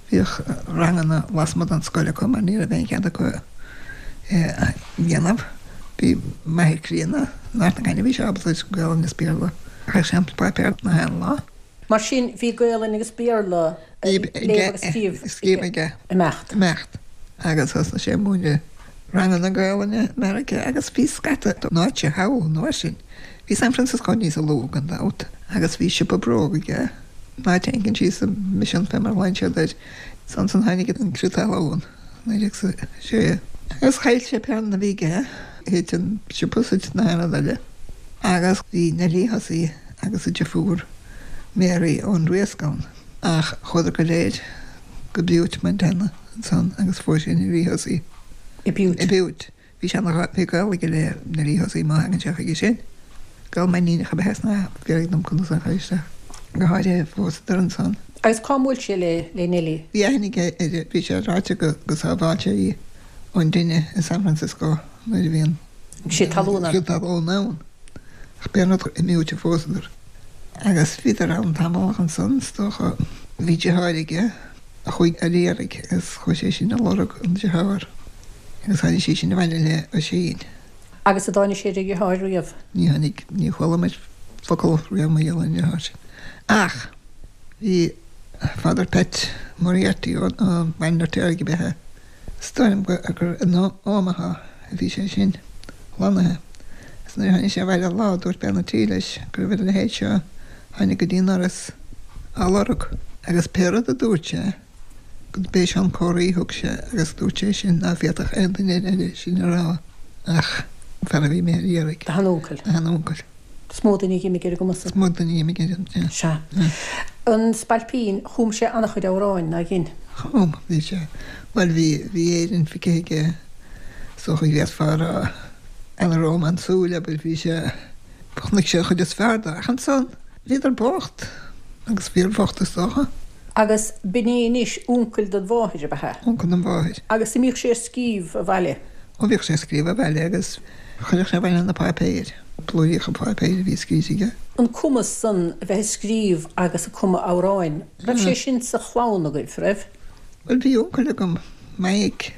bhíodh ranganna lasmuigh den scoil acu mar ní raibh aon chead acu é a dhéanamh. Bhí m'athair críonna, in Ard na Caithne bhí sé ábalta Gaelainn is Béarla. Chaith sé an páipéar na haon lá. Mar sin bhí Gaelainn agus Béarla léamh agus scríobh aige. Imeacht. Imeacht. Agus thosnaigh sé ag múineadh ranganna Gaelainne i Meiriceá agus bhí scata áite thall an uair sin. Bhí San Francisco níos lú gan dabht agus bhí siopa bróg aige in áit éicint síos sa Mission fé mar a ghlaonn siad air. Is ansan tháinig an crith talún. naoi déag is a sé. Agus chaill sé pé rud a bhí aige, thit an siopa is thit na haon rud eile. Agus bhí Neilí Hussey agus a deirfiúr Mary ón Riasc ann. Ach chuadar go léir go Butte, Montana ansan agus phós sé Neilí Hussey i Butte. I Butte. Bhí sé ina bhí gaol aige le Neilí Hussey má thagann sé chuige sin. Gaol Mainníneach ab ea é ná fiafraigh dom conas a chuir isteach. Go háirithe phósadar ansan. Agus cá mbuail sé le le Neilí? Bhí aithne aige uirthi, bhí sé ráite go go sábháil sé í ón dtine i San Francisco nuair a bhí an crith talún ann. crith talún ann. Ach b'é an rud i mButte a phósadar. Agus bhíodar ann tamall ach ansan is dócha bhí deartháir aige a chuaigh ar iarraidh agus chuaigh sé sin ag lorg an dearthár agus tháinig sí sin abhaile le Oisín. Agus an dtáinig sé ar a dheartháir riamh? Ní tháinig, ní chuala muid focal riamh mar gheall ar an deartháir sin. Ach bhí Father Pat Moriarty ó Bhaile an Fheirtéaraigh ab ea é. Is dóigh liom gur in Omaha a bhí sé sin lonnaithe. Agus nuair a tháinig sé abhaile lá dúirt bean an tí leis go raibh a leithéid seo a tháinig go dtí an doras á lorg. Agus pé rud a dúirt sé, go b'é Seán Comhraí a thug sé agus dúirt sé sin ná féadfadh aon duine eile sin a rá ach an fear a bhí imithe ar iarraidh. Do sheanúncail. Do sheanúncail. Is mó duine a dh'imigh ar a gcumas. Is mó duine a dh'imigh ar a, Sea. An Spailpín, chum sé an-chuid amhráin, nár dhein? Chum, bhí sé, bhuel bhí, bhí Éirinn feicthe aige, is dócha go bhféadfá a rá, An rómánsúil, abair, bhí sé, chonaic sé an chuid is fearr de, ach ansan, bhíodar bocht, agus fíorbhocht is dócha. Agus b'in é anois uncail don mháthair, ab ea? Uncail don mháthair. Agus a mbíodh sé ag scríobh abhaile? Ó bhíodh sé ag scríobh abhaile agus chuireadh sé abhaile na páipéir, blúiríocha páipéir a bhí scríte aige. An cumas san a bheith ag scríobh agus ag cumadh amhráin, raibh sé sin sa chlann agaibh, raibh? Bhuel bhí uncail agam, Maidhc,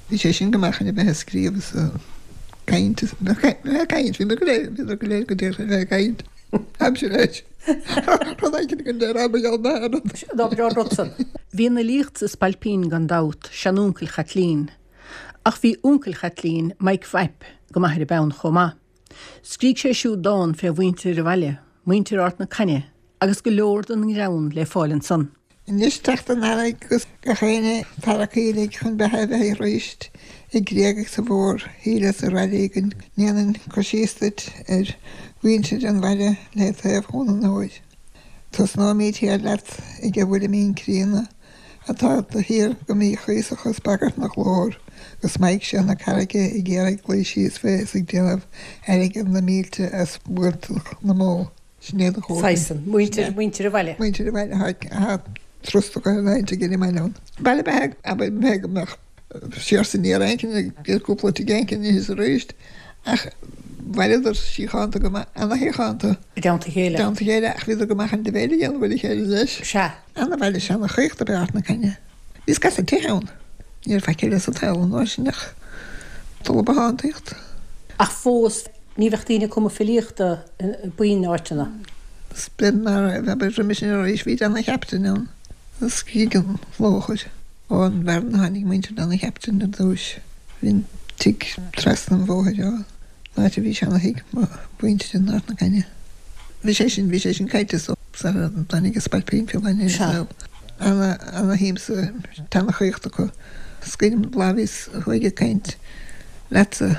bhí sé sin go maith chun a bheith ag scríobh is ag caint is, bheith ag caint, bhí mé go léir, bhíodar go léir go díreach a bheith ag caint, aimsir leis, rud éicint go léir am a gheall na rud. Ná breá an rud san. Bhí an fhilíocht sa Spailpín gan dabht, seanúncail Chaitlín. Ach bhí uncail Chaitlín, Mike Mhaidhc, go maith ar an bpeann chomh maith. Scrígh sé siúd dán fé mhuintir an bhaile, muintir Ard na Caithne, agus go leor den ngreann le fáil ansan. Anois teacht an earraigh agus gach éinne tarraicthe uilig chun beatha a bheith aríst i gcreag agus i bhfór-thaoille is araile go ndéanfainn cur síos duit ar mhuintir an bhaile le taobh Chuan an Iúir. Tosnóimíd thiar leat ag a Mhuire Mín Críonna Atá de shíor go míchuíosach is bagairt 'na ghlór, go smaidhc sé na carraige ag iarraidh luí síos fé is ag déanamh airgead na mílte as buailteach na mbó. Sin iad a chomharsain. Saghas, muintir, muintir an bhaile. Muintir an bhaile atá trostach ar an áit ag an mbaile ann. Baile beag, abair, beag go mbeadh siar is aniar éicint ag cúpla tigh éicint is arís, ach bhaineadar síochánta go maith, ana-shíochánta. I dteannta a chéile. I dteannta a chéile, ach bhíodar go maith chun dibhéil a dhéanamh ar a chéile leis. Sea. Ana-bhaile seana-chaochta ab ea Ard na Caithne. Bhí scata tithe ann. Ní raibh faic eile sa tsaol an uair sin ach dul ag bothántaíocht. Ach fós, ní bheadh daoine ag cumadh filíochta b'in áiteanna. Is beag ná raibh, abair, roimhe sin arís, bhí Dan an Chaptaein ann. As Gig an Lóchair. Ón bhFearann a tháinig muintir Dan an Chaptaein ar dtúis. Bhí an tigh trasna an bhóthair ón áit a bhí seana-thigh mo mhuintire in Ard na Caithne. Bhí sé sin, bhí sé sin caillte so sara dtáinig an Spailpín Fiáin ar an saol. Ana, ana-shuim sa tseanchaíocht acu. Is cuimhin liom lá a bhíos thuaidh ag caint leatsa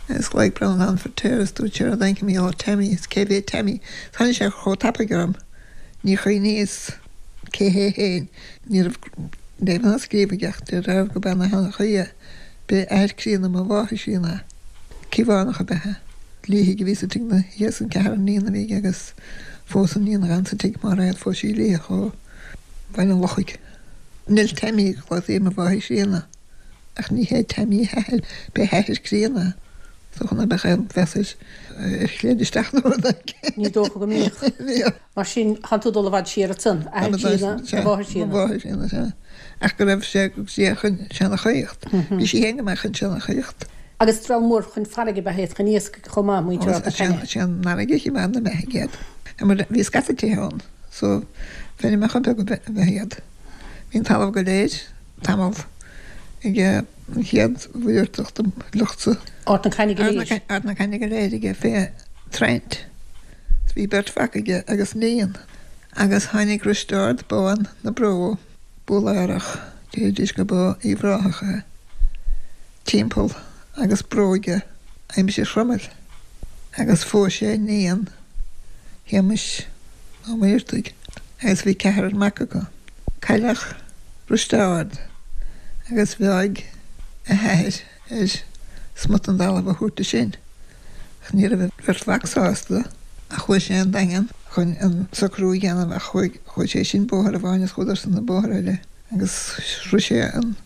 agus ghlaoigh Breandán Feirtéar is dúirt sé rud éicint mar gheall ar Tammy is cé mhéad Tammy. Tháinig sé chomh tapaidh orm, ní chuimhníos cé hé féin. Ní raibh léamh ná scríobh aige ach deirtear go b'ea na sheanchaí é. B'é athair críonna mo mháthar chríonna é. Cíobhánach ab ea é. Liathaigh a bhí sa tigh ina dhiaidh san, ceathrar iníon a bhí aige agus phós an iníon a dh'fhan sa tigh, Máiréad, phós sí Liathach ó Bhaile an Lochaigh. Nell Tammy a ghlaotaí ar mo mháthair chríonna ach ní hé Tammy a hathair, b'é a hathair críonna é. Is dócha ná beadh aon mheas air ar chreid isteach nó rud éigin. Ní dócha go mbíodh. Mar sin, tánn tú ag dul i bhfad siar ansan, athair críonna, do mháthair chríonna. Mo mháthair chríonna, sea. Ach go raibh sé go dtí chun seanchaíocht. Bhí sí féin go maith chun seanchaíocht. Agus dream mór chun farraige ab ea iad chun iascaigh chomh maith, muintir Ard na Caithne. Sé an fharraige a choimeád na mbeathaigh iad. Mar bhí scata tithe ann so feirmeacha beaga ab ea iad. Bhí an talamh go léir tamall ag an chéad Mhuircheartach de shliocht Ard na Caithne go léir. Ard na Caithne go léir aige fé Trent. Bhí beirt mhac aige agus níon. Agus tháinig Risteárd Bán na Bró, Búlaerach, deiridís go ba Uíbh Ráthach é, timpeall agus bró aige aimsir Chromail agus phós sé níon Shéamais Ó Muircheartaigh agus bhí ceathrar mac acu. Cailleadh Risteárd agus mheáigh a hathair air smut den dtalamh a thabhairt dó sin ach ní raibh a bheirt mhac sásta ach chuaigh sé an Daingean chun an socrú a dhéanamh ach chuaigh chuaigh sé sin bóthar amháin is chuadarsan an bóthar eile agus shroich sé an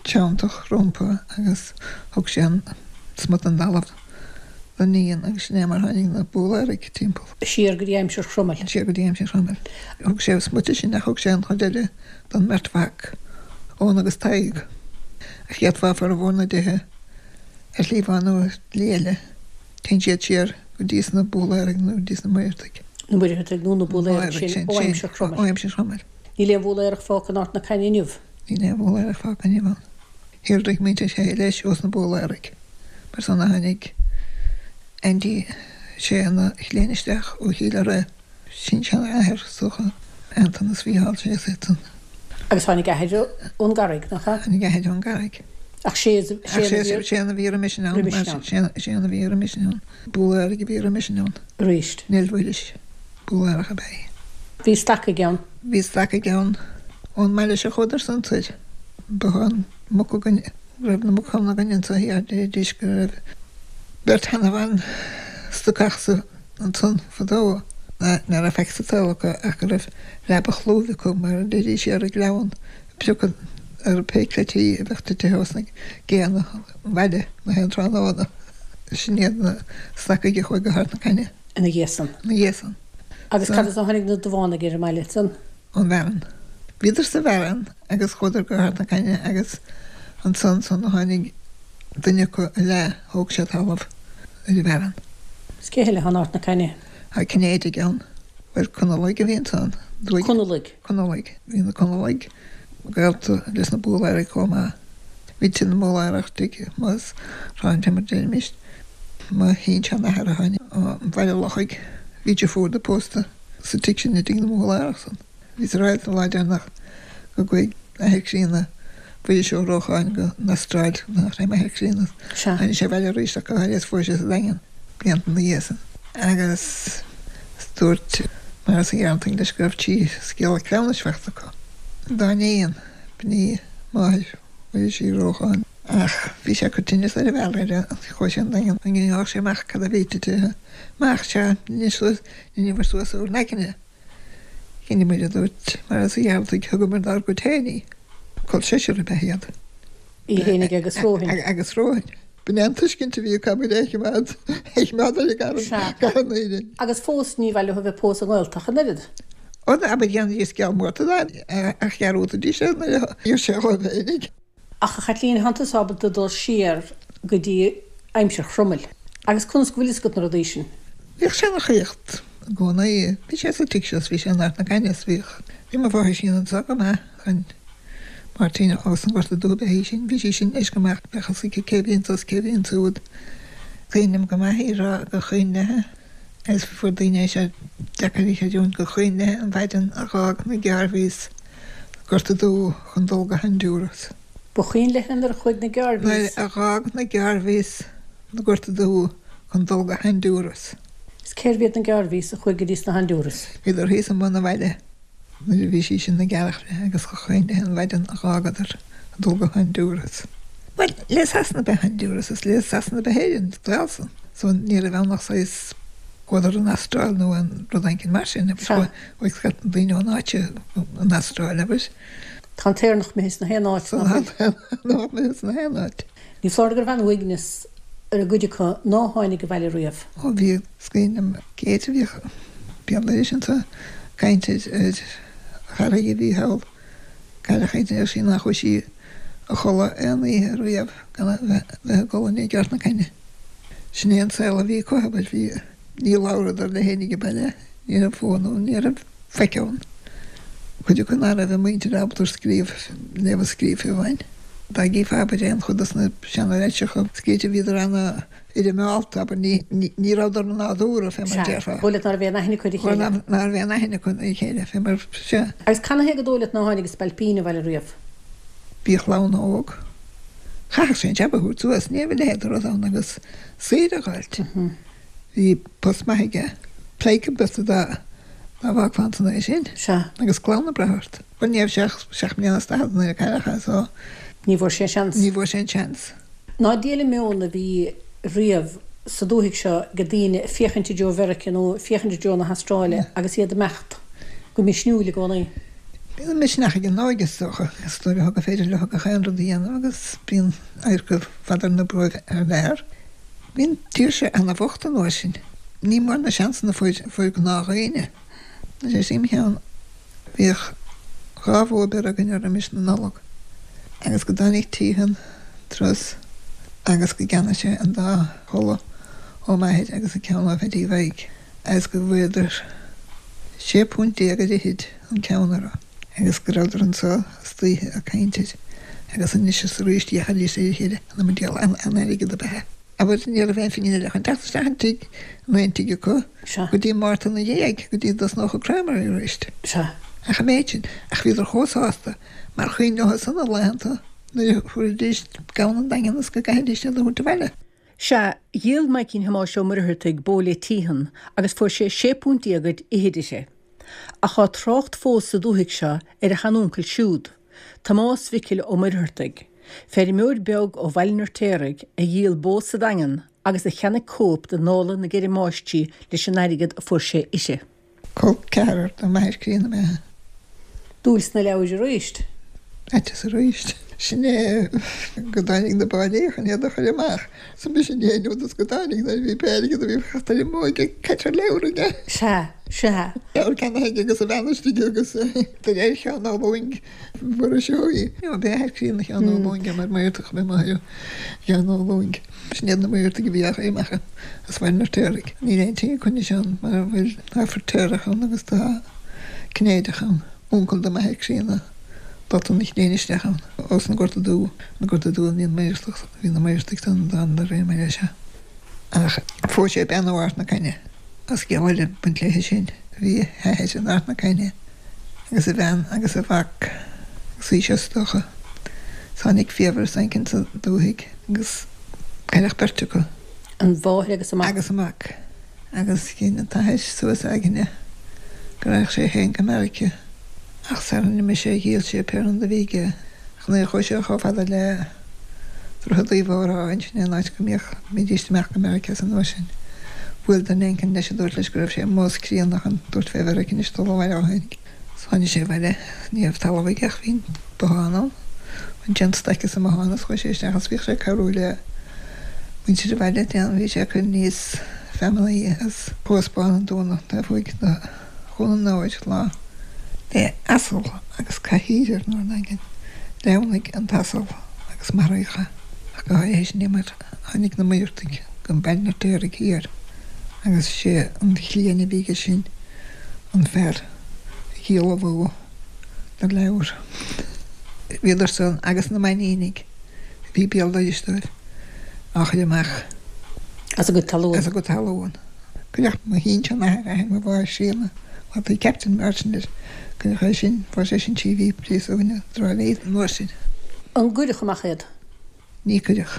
tSeanteach rompu agus thug sé an smut den dtalamh don níon agus sin é mar tháinig na Búlaeraigh timpeall. Siar go dtí aimsir Chromail. Siar go dtí aimsir Chromail. Thug sé smut di sin ach thug sé an chuid eile don mbeirt mhac, Eoghan agus Tadhg. Ach d'fhéadfá formhór na dtithe ar shlí amháin nó ar shlí eile, téann siad siar go dtí sna Búlaeraigh nó go dtí sna Muircheartaigh. Na Muircheartaigh nó na Búlaeraigh sin ó aimsir Chromail. Ó aimsir Chromail. Níl aon Bhúlaerach fágtha in Ard na Caithne inniu. Níl aon Bhúlaerach fágtha inniu ann. Shíolraigh muintir Sheaghdha leis ós na Búlaeraigh. Mar san a tháinig Aindí Sé ina chlann isteach ó Chill Ura. Sin-seanathair, is dócha, Anton is Mhícheál Sé is iad san. Agus tháinig athair ón gCarraig, nach ea? Tháinig athair ón gCarraig. Ach sé sé an a bhí roimhe sin ann, sé an a bhí roimhe sin ann. Búlaeraigh a bhí roimhe sin ann. Arís. Nell Mhuiris, Búlaerach ab ea í. Bhí stacaigh ann. Bhí stacaigh ann. Ón mbaile seo chuadar san soir. Bothán muc againn, go raibh na muc ann againn anso thiar, deiridís go raibh beirt sheanbhan stacach sa ansan fadó ná raibh faic sa tsaol acu ach go raibh leaba chlúimh acu mar a deiridís ar an gcleamhan ag piocadh ar pé cleití a bheadh titithe ós na géanna an bhaile na haon tráthnóna. Sin iad na stacaigh a chuaigh go hArd na Caithne. Ina dhiaidh san. Ina dhiaidh san. Agus cad as a tháinig na Duibheánaigh ar an mbaile san? Ón bhFearann. Bhíodar sa bhFearann agus chuadar go hArd na Caithne agus ansan san a tháinig duine acu a leath thóg sé talamh ar an bhFearann. Is cé eile atá in Ard na Caithne? Tá Cinnéidigh ann. Bhuel Conallaigh a bhí ansan. Conallaigh? Conallaigh. Bhí na Conallaigh gaolta leis na Búlaeraigh chomh maith. Bhí tigh na mBúlaerach tigh Mos Shláinte mar deirimis. Mo shin-seanathair a tháinig ó Bhaile Lochaigh, bhí deirfiúr de pósta sa tigh sin i dtigh na mBúlaerach san. Bhíos ag ráit an lá deireanach go gcuaigh athair críonna Mhuiris Ó Rócháin go n-Astráil nach raibh m'athair críonna. Tháinig sé abhaile arís ach go háirithe is fuair sé sa Daingean blianta ina dhiaidh san. Agus dúirt Maurice Ó Gearrantaigh leis go raibh trí scéala cleamhnais faighte acu. Dá iníon, b'in í máthair Mhuiris Uí Rócháin. Ach bhí sé ag cur tinneas ar a bhealach air chuaigh sé an Daingean an ngearr sé amach cad a bhí tite amach sea dheineadh suas dheineamar suas ár n-aigne. Dheineamar a dúirt mar as a Ghearaltaigh thugamar dár gcuid féin í. Col seisear ab ea iad. Í fhéinig agus romhainn. Agus romhainn. B'in é an tuiscint a bhí acu abair é a choimeád é a choimeád ar an Sea. gcarn Éirinn. Agus fós ní mhaith leo a bheith ag pósadh i nGaeltacht an oiread. Ó abair dhéanfaidís sceal Mhárta ach dhearúdaidís é nuair a d'iarr sé dhóibh fhéinig. Ach a Chaitlín, thánn tusa ábalta dul siar go dtí aimsir Chromail. Agus conas go bhfuil fhios agat na rudaí sin? Bhíodh seanchaíocht i gcónaí. Bhí sé sa tigh seo 's bhí sé in Ard na Caithne 's bhíodh. Bhí mo mháthair sin anso go maith chun Máirtín ós an Gorta Dubh ab ea í sin. Bhí sí sin anois go maith, bheadh fhios aici cé bhí anso 's cé bhí ansúd. Cuimhním go maith í rá gur chuimhin léithe agus fuair daoine é seo deacair a chreidiúint gur chuimhin léithe an mhaidin a dh'fhág na Garveys Gorta Dubh chun dul go Honduras. Ba chuimhin léithe nuair a chuaigh na Nuair Garveys. a dh'fhág na Garveys na Gorta Dubh chun dul go Honduras. Is cérbh iad na Garveys a chuaigh go dtí sna Honduras? Bhíodar thíos i mbun an bhaile nuair a bhí sí sin ag earrach léi agus ba chuimhin léithe an mhaidin a dh'fhágadar chun dul go Honduras. Bhuel, le Sasana ab ea Honduras is le Sasana ab ea Éirinn, dálsan. So ní raibh ann ach saghas chuadar an Astráil nó an rud éicint mar sin Sea. chuaigh scaifte daoine ón áit an Astráil abair. Tá an t-Éireannach imithe sna haon áit nach bhfuil. Nach imithe sna haon áit. Ní foláir go raibh an-uaigneas ar an gcuid acu ná tháinig abhaile riamh. Ó bhí is cuimhin liom Kate a bhíodh béal dorais anso ag caint ar ar chara a bhí thall cailleach é deir sí nach chuaigh sí a chodladh aon oíche riamh gan a bheith bheith ag gol i ndiaidh Ard na Caithne. Sin é an saol a bhí acu abair bhí ní labhradar le héinne ag baile ní raibh fón ann ní raibh faic ann. Cuid acu ná raibh a muintir ábalta scríobh léamh is scríobh fiú amháin. Dá gcífeá abair aon chuid dos na seana-leitreacha scríte bhíodar an-fhoirmeálta abair ní ní rabhadar nádúrtha fé mar Sea, déarfá. dóigh leat ná raibh aon aithne acu ar a chéile. Ná raibh aon aithne acu ar a chéile fé mar sea. Agus canathaobh gur dóigh leat ná tháinig an spailpín abhaile riamh? Bhí a chlann óg. Chaithfeadh sé an jab a thabhairt suas, ní raibh a leithéid de rud ann agus saoire a dh'fháilt. Bhí post maith aige. Pleidhce bearta dá dá bhfágfá ansan é sin. Sea. Agus clann ag brath ort. Bhuel ní raibh sé ach seacht mbliana is daichead nuair a cailleadh é so. Ní bhfuair sé an seans. Ní bhfuair sé an seans. Ná diail an meon a bhí riamh sa dúthaigh seo ag daoine ag féachaint i dtreo Mheiriceá nó ag féachaint i dtreo na hAstráile agus iad ag imeacht go misniúil i gcónaí. Bíonn an misneach ag an óige is dócha, is dóigh leo gur féidir leo gach aon rud a dhéanamh agus bíonn adharca fada ar na bróig thar lear. Bhí an tír seo ana-bhocht an uair sin. Ní mór na seansanna a fuair fuair gnáthdhaoine. Is é im cheann bhíodh dhá bhó beirthe againn roimis na Nollag agus go dtáinig Teehan turas agus go gceannaigh sé an dá chulaith ó m'athair agus an ceann ó Pheaidí Mhaidhc agus go bhfuaireadar sé púnt déag ar fhichid an ceann orthu agus go rabhadar anso istoíche ag caint air agus anois is arís d'fhéachaidís ar a chéile an iomaí diabhal an-airgead ab ea é. Abair ní raibh aon phingin eile chun teacht isteach an tigh, in aon tigh acu, Sea. go dtí Márta ina dhiaidh, go dtí dtosnódh an primary arís. Sea. Ach an méid sin, ach bhíodar chomh sásta mar chuimhin leo san na laethanta nuair a thabharfaidís gamhain an Daingean is go gcaithfidís iad a thabhairt abhaile. Sea, dhíol Maidhcín Thomáis Ó Muircheartaigh bó le Teehan agus fuair sé sé púnt déag ar fhichid uirthi. Ach tá trácht fós sa dúthaigh seo ar a sheanuncail siúd, Tomás Mhicil Ó Muircheartaigh, feirmeoir beag ó Bhaile an Fheirtéaraigh a dhíol bó sa Daingean agus a cheannaigh cóip de Nóla na gCeithre Máistrí leis an airgead a fuair sé uirthi. Col ceathrar do m'athair críonna ab ea é. Dúil sna leabhair arís. Aiteas arís. Sin é go dtáinig na báillí chun iad a chur amach. So b'shin é an rud is go dtáinig nuair a bhí pé airgead a bhí fachta ar an mbóig ag caite ar leabhar aige. Sea, sea. Leabhar ceannaithe aige agus a bhean istigh agus de réir Sheáin Ó Lúing Mhuiris Ó. B'é a athair críonna Sheán Ó Lúing é mar Muircheartach ab ea máthair Sheáin Ó Lúing. Sin iad na Muircheartaigh a bhí á chur amach as Baile an Fheirtéaraigh. Níl aon tigh acu anois ann mar a bhfuil tá Feirtéarach ann agus tá Cinnéideach ann. Uncail do m'athair críonna dulta na chéin isteach ann ós an Gorta Dubh, an Gorta Dubh a bhí an Muircheartach, bhí na Muircheartaigh san dán de réir mar é seo. Ach phós sé bean ó Ard na Caithne. Tá scéal eile ag baint léithe sin. Bhí a hathair in Ard na Caithne agus a bhean agus a mhac agus í seo is dócha. Tháinig fiabhras éicint sa dúthaigh agus cailleadh beirt acu. An mháthair agus a mac. Agus a mac. Agus dhein an t-athair suas a aigne go raghadh sé féin go Meiriceá. Ach sara n-imigh sé dhíol sé pé rud a bhí aige. Ach nuair a chuaigh sé chomh fada le Droichead Uí Mhóráin, sin é an áit go mbíodh, mbídíst amach go Meiriceá san uair sin. Bhuail duine éicint leis a dúirt leis go raibh sé amuigh as críonna chun dúirt fé Mheiriceá anois dul abhaile ó tháinig. Is tháinig sé abhaile, ní raibh talamh aige ach bhí an bothán ann. Bhain sé an staic as an mbothán is chuaigh sé isteach is bhíodh sé ag cabhrú le muintir an bhaile, déan, bhí sé ag cur aníos feamainní as Cuas Bán an Dúna taobh thuaidh de Dhún an Óir lá le asal agus cathaoir ar an nDaingean. Shleamhnaigh an t-asal agus maraíodh é. Ach go háirithe sin é mar tháinig na Muircheartaigh go Baile an Fheirtéaraigh thiar agus sé an chliain a bhí aige sin an fear a dhíolmhú na leabhar. Bhíodar san agus na Mainnínigh a bhí béal dorais dóibh á chur amach as a gcuid talún. As a gcuid talún. Cuireadh mo shin-seanathair, athair mo mháthar chríonna, bhí Captain Martin air, cuireadh é sin, fuair sé sin trí mhí príosúin i dTrá Lí an uair sin. An gcuireadh amach iad? Ní cuireadh.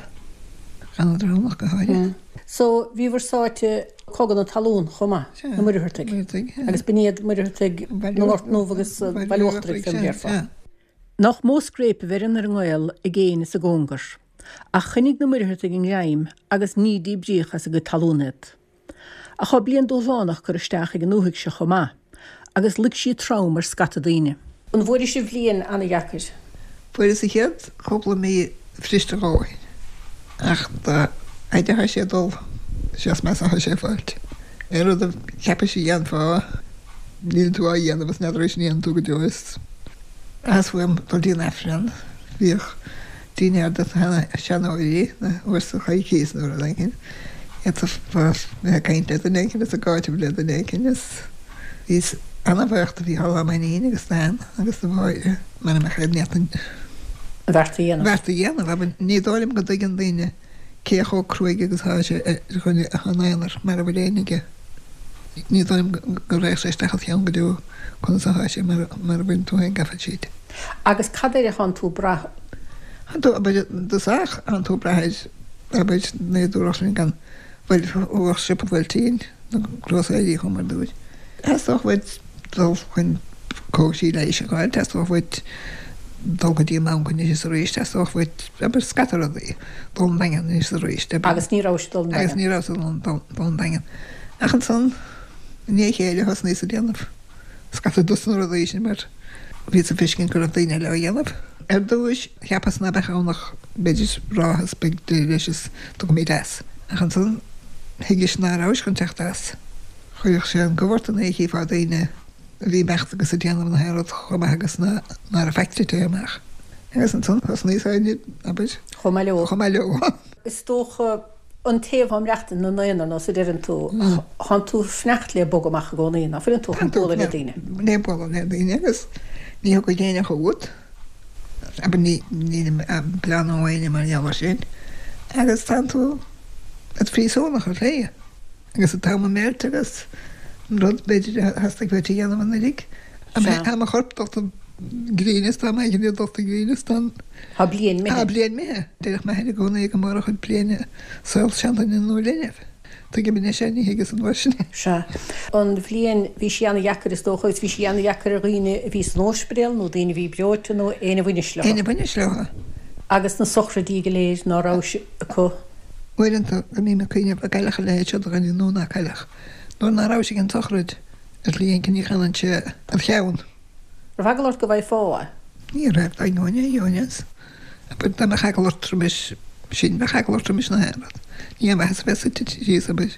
D'fhanadar ann ach go háirithe. So, bhíobhair sáite i gcogadh na talún chomh maith, na Muircheartaigh. Muircheartaigh, Agus b'in iad Muircheartaigh na nGort nDubh agus Baile Uachtarach, fé mar a déarfá. Nach mó scréip a bheireann ar an ngaol i gcéin is i gcóngar. Ach choinnigh na Muircheartaigh a ngreim agus ní díbríodh as a gcuid talún iad. Ach tá bliain dúshlánach curtha isteach ag an ndúthaigh seo chomh maith, agus luigh sí trom ar scata daoine. An bhfuairis bhliain ana-dheacair? Fuaireas an chéad chúpla mí bhriste a dhóthain, ach dá fhaide atá sé ag dul, is ea is measa atá sé ag fáilt. Aon rud a cheapais a dhéanfá, níl tú á dhéanamh is n'fheadar an ndéanfaidh tú go deo is. Theastaigh uaim dul dtí an Aifreann. Bhíodh dinnéar do na seanóirí uair sa choicís nó rud éigin. D'fhéadfá bheith ag caint le duine éigin is ag áiteamh le duine éigin is bhíos ana-bhuíoch do Mhícheál Ó Mainnín agus d'Ann agus do Mháire mara mbeadh aon ní an bheart a dhéanamh. bheart a dhéanamh. Ní dóigh liom go dtuigeann daoine cé chomh cruaidh agus atá sé ar dhuine atá ina aonar mara bhfuil éinne aige. Ní dóigh liom go raghadh sé isteach id cheann go deo conas atá sé mara bhfuil tú féin gafa tríd. Agus cad air atánn tú ag brath? Thánn tú, abair, i dtosach, thánn tú ag brath ar, abair, nádúrach sin gan, bhuel, thabharfadh siopa buailtín na grósaeirí chomh mar dúirt. Theastódh uait dul chun cógaisí leighis a fháil, theastódh uait dul go dtí an mbanc anois is arís, theastódh uait, abair, scata rudaí, dul an Daingean anois is arís. Agus ní rabhais ag dul an Daingean. Agus ní rabhas ag dul an Daingean. Ach ansan, i ndiaidh a chéile, thosnaíos ag déanamh scata dos na rudaí sin mar bhíos ag feiscint go raibh daoine eile á dhéanamh. Ar dtúis, cheapas ná beadh ann ach b'fhéidir ráithe is beidh deireadh leis is tiocfaimid as. Ach ansan, thuigeas ná rabhais chun teacht as. Chuirfeadh sé an gomh ort nuair a chífeá daoine a bhí ag imeacht agus ag déanamh na haon rud chomh maith agus ná raibh faic tite amach. Agus ansan thosnaíos féin, abair. Chomh maith leo. Chomh maith leo. Is dócha an té atá ag maireachtaint ina aonar nós a deireann tú, thánn tú ag fanacht le bogadh amach i gcónaí, ná fuileann tú chun bualadh le daoine? Le bualadh le daoine agus ní thiocfaidh éinne chugat, abair ní, nílim ag bleánú éinne mar gheall air sin, agus tánn tú id phríosúnach ar shlí. Agus an t-am ag imeacht agus an rud b'fhéidir a theastaigh uait a dhéanamh anuiridh. Tá mo chorp dulta i gcruinneas, tá m'aigne dulta i gcruinneas, tá an. Tá bliain imithe. Tá bliain imithe. Deireadh m'athair i gcónaí go mór a chuid bliain i saol seanduine nó linbh. Tuigim anois é, ní thuigeas an uair sin é. Sea. An bhliain, bhí sí ana-dheacair is dócha agus bhí sí ana-dheacair ar dhaoine a bhí san óispidéal nó daoine a bhí breoite nó éinne a bhaineas leo. Éinne a bhaineas leo. Agus na sochraidí go léir ná rabhais acu. Uaireanta go mbím ag cuimhneamh an gcaillfeadh a leithéid seo de dhuine nó ná caillfeadh. Nuair ná rabhais ag an tsochraid, ar shlí éicint ní chanann sé id cheann. Raibh eagla ort go bhfaighfeá é? Ní raibh, dá gheobhainn é, gheobhainn é. Abair, dá mbeadh eagla ort roimis sin, bheadh eagla ort roimis na haon rud. Ní aon mhaitheas a bheith suite síos, abair.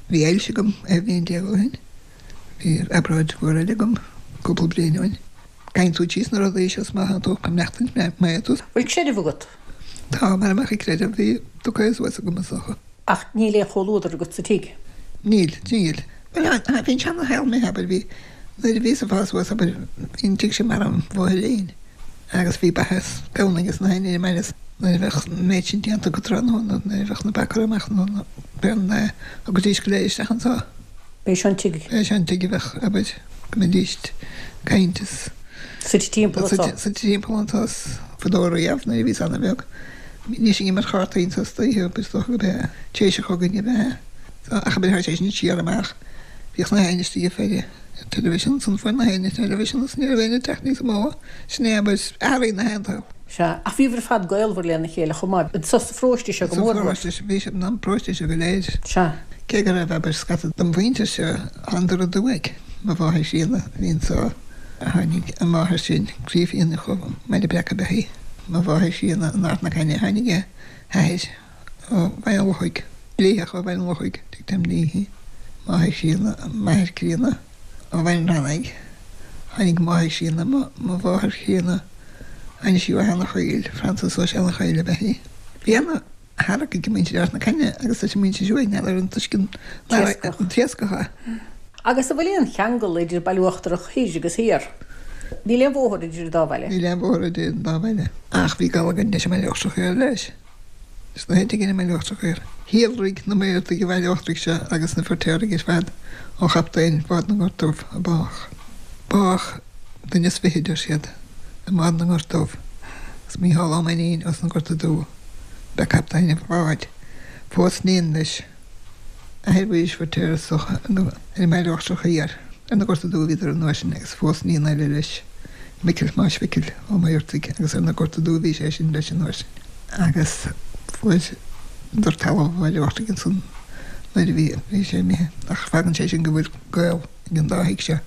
Bhí ailse agam dhá bhliain déag ó shin. Bhí obráid mhór eile agam cúpla bliain ó shin. Gabhann tú tríd na rudaí seo is má thánn tú ag maireachtaint maith tú. Bhfuil creideamh agat? Tá, mara mbeadh an creideamh bhí tugtha suas agam is dócha. Ach níl aon chomhluadar agat sa tigh? Níl, níl. Bhuel, bhí an seana-shaol imithe, abair, bhí, nuair a bhíos ag fás suas, abair, bhí an tigh sin mar an bhóithrín agus bhí ba is gamhna ages na héinne ar an mbaile nuair a bheadh an méid sin déanta acu tráthnóna, nuair a bheadh na ba curtha amach nó na beanna, thiocfaidís go léir isteach anso. B'é seo an tigh. B'é seo an tigh a bheadh, abair, go mbeidís ag caint is. Suite timpeall anso. Suite timpeall anso is fadó riamh nuair a bhíos ana-bheag. Bhídís ag imirt chártaí anso istoíche, abair, is dócha gurb é tar éis a chogaidh ab ea. Ach abair, tá sé sin siar amach Bhíodh na héinne istigh ag faire television san fuair na héinne television is ní raibh éinne ag teacht níos mó. Sin é abair athraigh na haon tsaol. Sea, ach bhíobhair ar fad gaolmhar lena chéile chomh maith. Anso sa pharóiste seo go Sa mór mór. pharóiste seo, bhí siad an paróiste seo go léir. Sea. Cé go raibh abair scata den mhuintir seo andar aduaidh, mo mháthair chríonna a bhí anso, tháinig a máthair sin, Craobh Fhíona ó mBaile Breac ab ea í, mo mháthair chríonna in Ard na Caithne, tháinig a hathair ó Bhaile an Lochaigh, Liathach ó Bhaile an Lochaigh, tuigim léi, máthair chríonna, m'athair críonna ó Bhaile an Reannaigh, tháinig máthair chríonna, mo mháthair chríonna, tháinig sí ó Eanach Caoil, Frances ó Eanach Caoil ab ea í. Bhí ana tharrac ag muintir Ard na Caithne agus leis an muintir seo n'fheadar an tuiscint an t-iascach é. Agus an bhfuil aon cheangal idir Baile Uachtarach Thoir agus Thiar? Níl aon bhóthar idir an dá bhaile. Níl aon bhóthar idir an dá bhaile. Ach bhí gaol againn leis an mBaile Uachtarach Thoir leis. Is na héinne againn i mBaile Uachtarach Thoir. Shíolraigh na Muircheartaigh i Bhaile Uachtarach seo agus na Feirtéaraigh ar fad ó chaptaen Bhád na nGort Dubh a bádh. Bádh duine is fiche, deir siad, i mBád na nGort Dubh. Is Mícheál Ó Mainnín as na Gorta Dubha ba captaen an bháid. Phós iníon leis. Athair Mhuiris Feirtéar is dócha ar an mBaile Uachtarach Thiar. Ar na Gorta Dubha a bhíodar an uair sin agus phós iníon eile leis, Micil Thomáis Mhicil Ó Muircheartaigh agus ar na Gorta Dubha a bhí sé sin leis an uair sin. Agus fuaireadar talamh an Bhaile Uachtaigh ansan nuair a bhí bhí sé imithe. Ach fágann sé sin go bhfuil gaol ag an dá thigh seo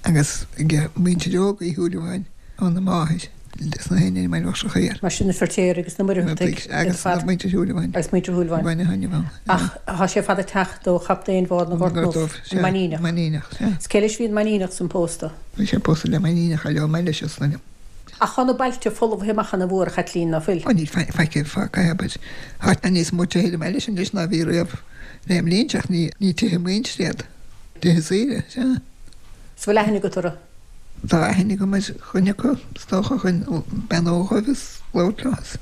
agus ag muintir óg Uí Shúilleabháin óna máthair leis na héinne i mBaile Uachtarach Thiar. Mar sin na Feirtéaraigh agus na Muircheartaigh Agus na muintir Shúilleabháin. Agus muintir Shúilleabháin. Bhain a thaitneamh ann. Ach tá sé fada ag teacht ó chaptaen Bhád na nGort Dubh, an Mainníneach. Mainníneach, sea. Is cé leis a bhí an Mainníneach san pósta? Bhí sé pósta le Mainníneach eile ón mbaile seo san ainm. Ach tá na bailte folmhaithe amach ana mhór, a Chaitlín, ná fuil? Ó níl faic fágtha, abair. Tá níos mó tithe ar an mbaile sin anois ná bhí riamh le mblianta ach ní tithe muintire iad. Tithe saoire, sea. Is bhfuil aithne agat orthu? Tá aithne agam ar dhuine acu, is dócha, chun beannú dhóibh is labhairt leo is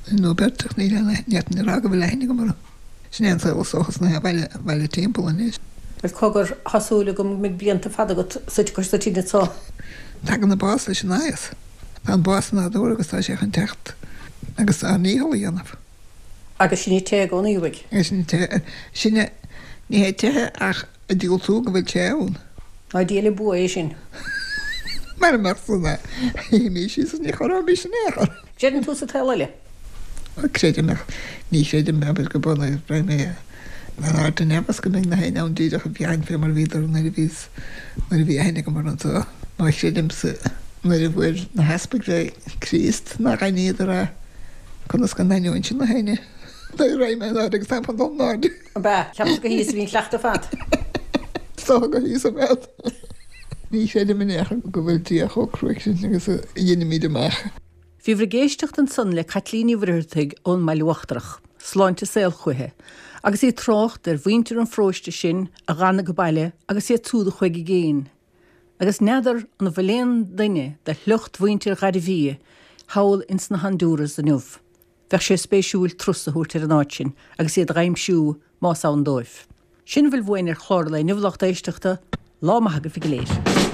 duine nó beirt ach níl aon aithne, ní fhéadfainn a rá go bhfuil aithne agam orthu. Sin é an saol is dócha sna baile, baile timpeall anois. Bhuel cogar, tá súil agam go mbeidh blianta fada agat suite cois na tine anso. Tagann an bás leis an aos. Tá an bás nádúrtha agus tá sé chun teacht agus ár ndícheall a dhéanamh. Agus sinn ag teitheadh ón uaigh. Agus sinn ag teitheadh, sinne, ní hé teitheadh ach ag diúltú go bhfuil sé ann. Ná diail an bua é sin. Mara mbeadh san shuífimís síos is ní chorróimis in aon chor. Creideann tú sa tsaol eile? Creidim ach ní chreidim abair go bunadh raibh mé in airde neamh is go mbeidh na héinne ann díreach i bhfeidhm fé mar a bhíodar nuair a bhíos nuair a bhí aithne agam orthu anseo. Má chreidim sa nuair a bhuail na heaspaig le Críost nár aithníodar é conas go n-aithneoinnse na héinne nuair a raghaidh mé in airde agus táim chun dul in airde. Ab ea? Ceapas gur thíos a bhí an cleachtadh ar fad. Is dócha gur thíos a bhead. Ní chreidim in aon chor go bhfuil Dia chomh cruaidh sin agus a dheinimid amach. Bhíobhair ag éisteacht ansan le Caitlín Ní Mhuircheartaigh ón mBaile Uachtarach, sláinte is saol chuici, agus í ag trácht ar mhuintir an pharóiste sin a dh'fhan age baile agus iad súd a chuaigh i gcéin. Agus n'fheadar an bhfuil aon duine de shliocht mhuintir Ghairbhia thall ins na Honduras inniu. Bheadh sé spéisiúil turas a thabhairt ar an áit sin agus iad a dh'aimsiú más ann dóibh. Sin a bhfuil uainn ar chlár an lae inniu, a lucht éisteachta. Lá maith agaibh go léir.